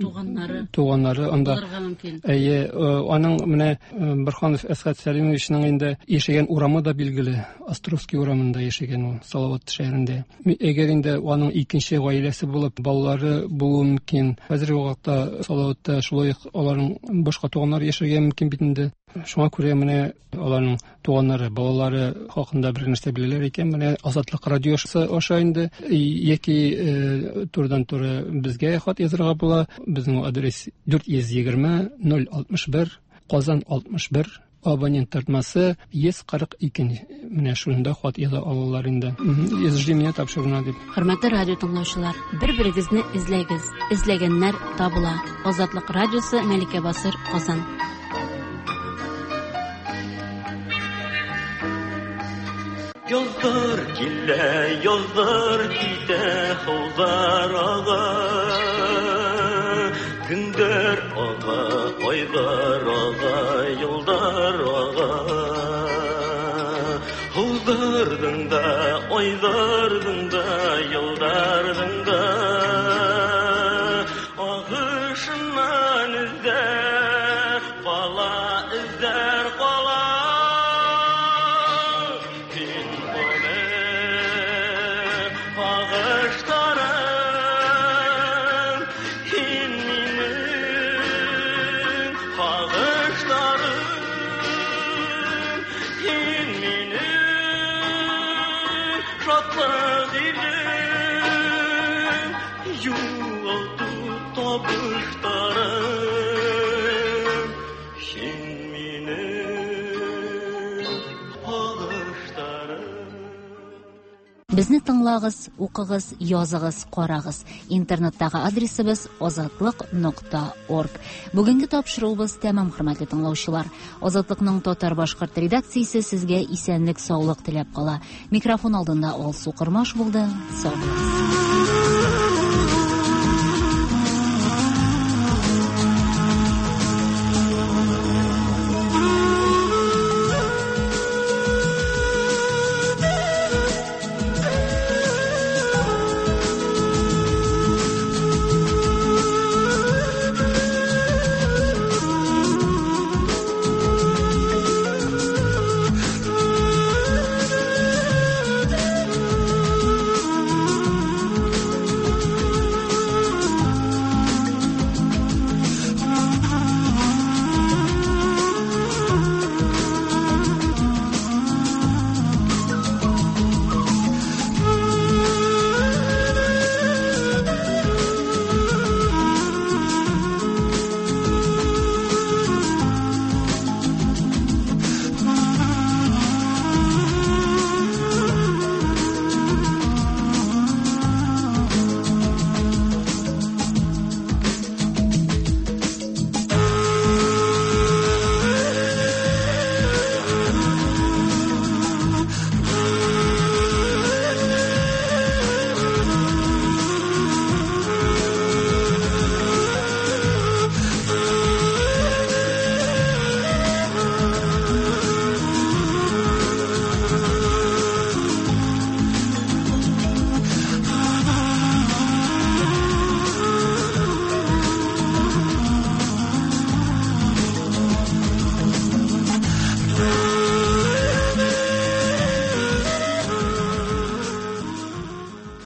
Туганнары. Туганнары анда. Булырга мөмкин. Әйе, аның менә Борһанов Әсхәт Сәлимовичның инде яшәгән урамы да билгеле. Островский урамында яшәгән ул, Салават шәһәрендә. Әгәр инде аның икенче гаиләсе булып, балалары булуы мөмкин. Хәзерге вакытта Салаватта шулай ук аларның башка туганнары яшәргә мөмкин бит инде. Шуңа күрә менә аларның туганнары, балалары хакында бер нәрсә беләләр икән, менә Азатлык радиосы аша инде яки турыдан-туры безгә хат язырга була. Безнең адрес 420 061 Казан 61, абонент тартмасы 142. Менә шунда хат яза алалар инде. Жди меня тапшыруына дип. Хөрмәтле радио тыңлаучылар, бер-берегезне эзләгез. Эзләгәннәр табыла. Азатлык радиосы, Мәликә Басыр, Казан. Язлар килә, язлар китә, һаулар ага. Көннәр ага, айлар ага, еллар ага. Һауларның да, айларның да, елларның да агышыннан эзләр кала, эзләр кала. Һин минем агыштарым, һин минем агыштарым, һин минем шатлык илем, югалту табыштарым, һин минем агыштарым. Безне тыңлагыз, укыгыз, языгыз, карагыз. Интернеттагы адресыбыз азатлык нокта орг. Бүгенге тапшыруыбыз тәмам, хөрмәтле тыңлаучылар. Азатлыкның татар-башкорт редакциясе сезгә исәнлек, саулык теләп кала. Микрофон алдында Алсу Кормаш булды. Сау булыгыз.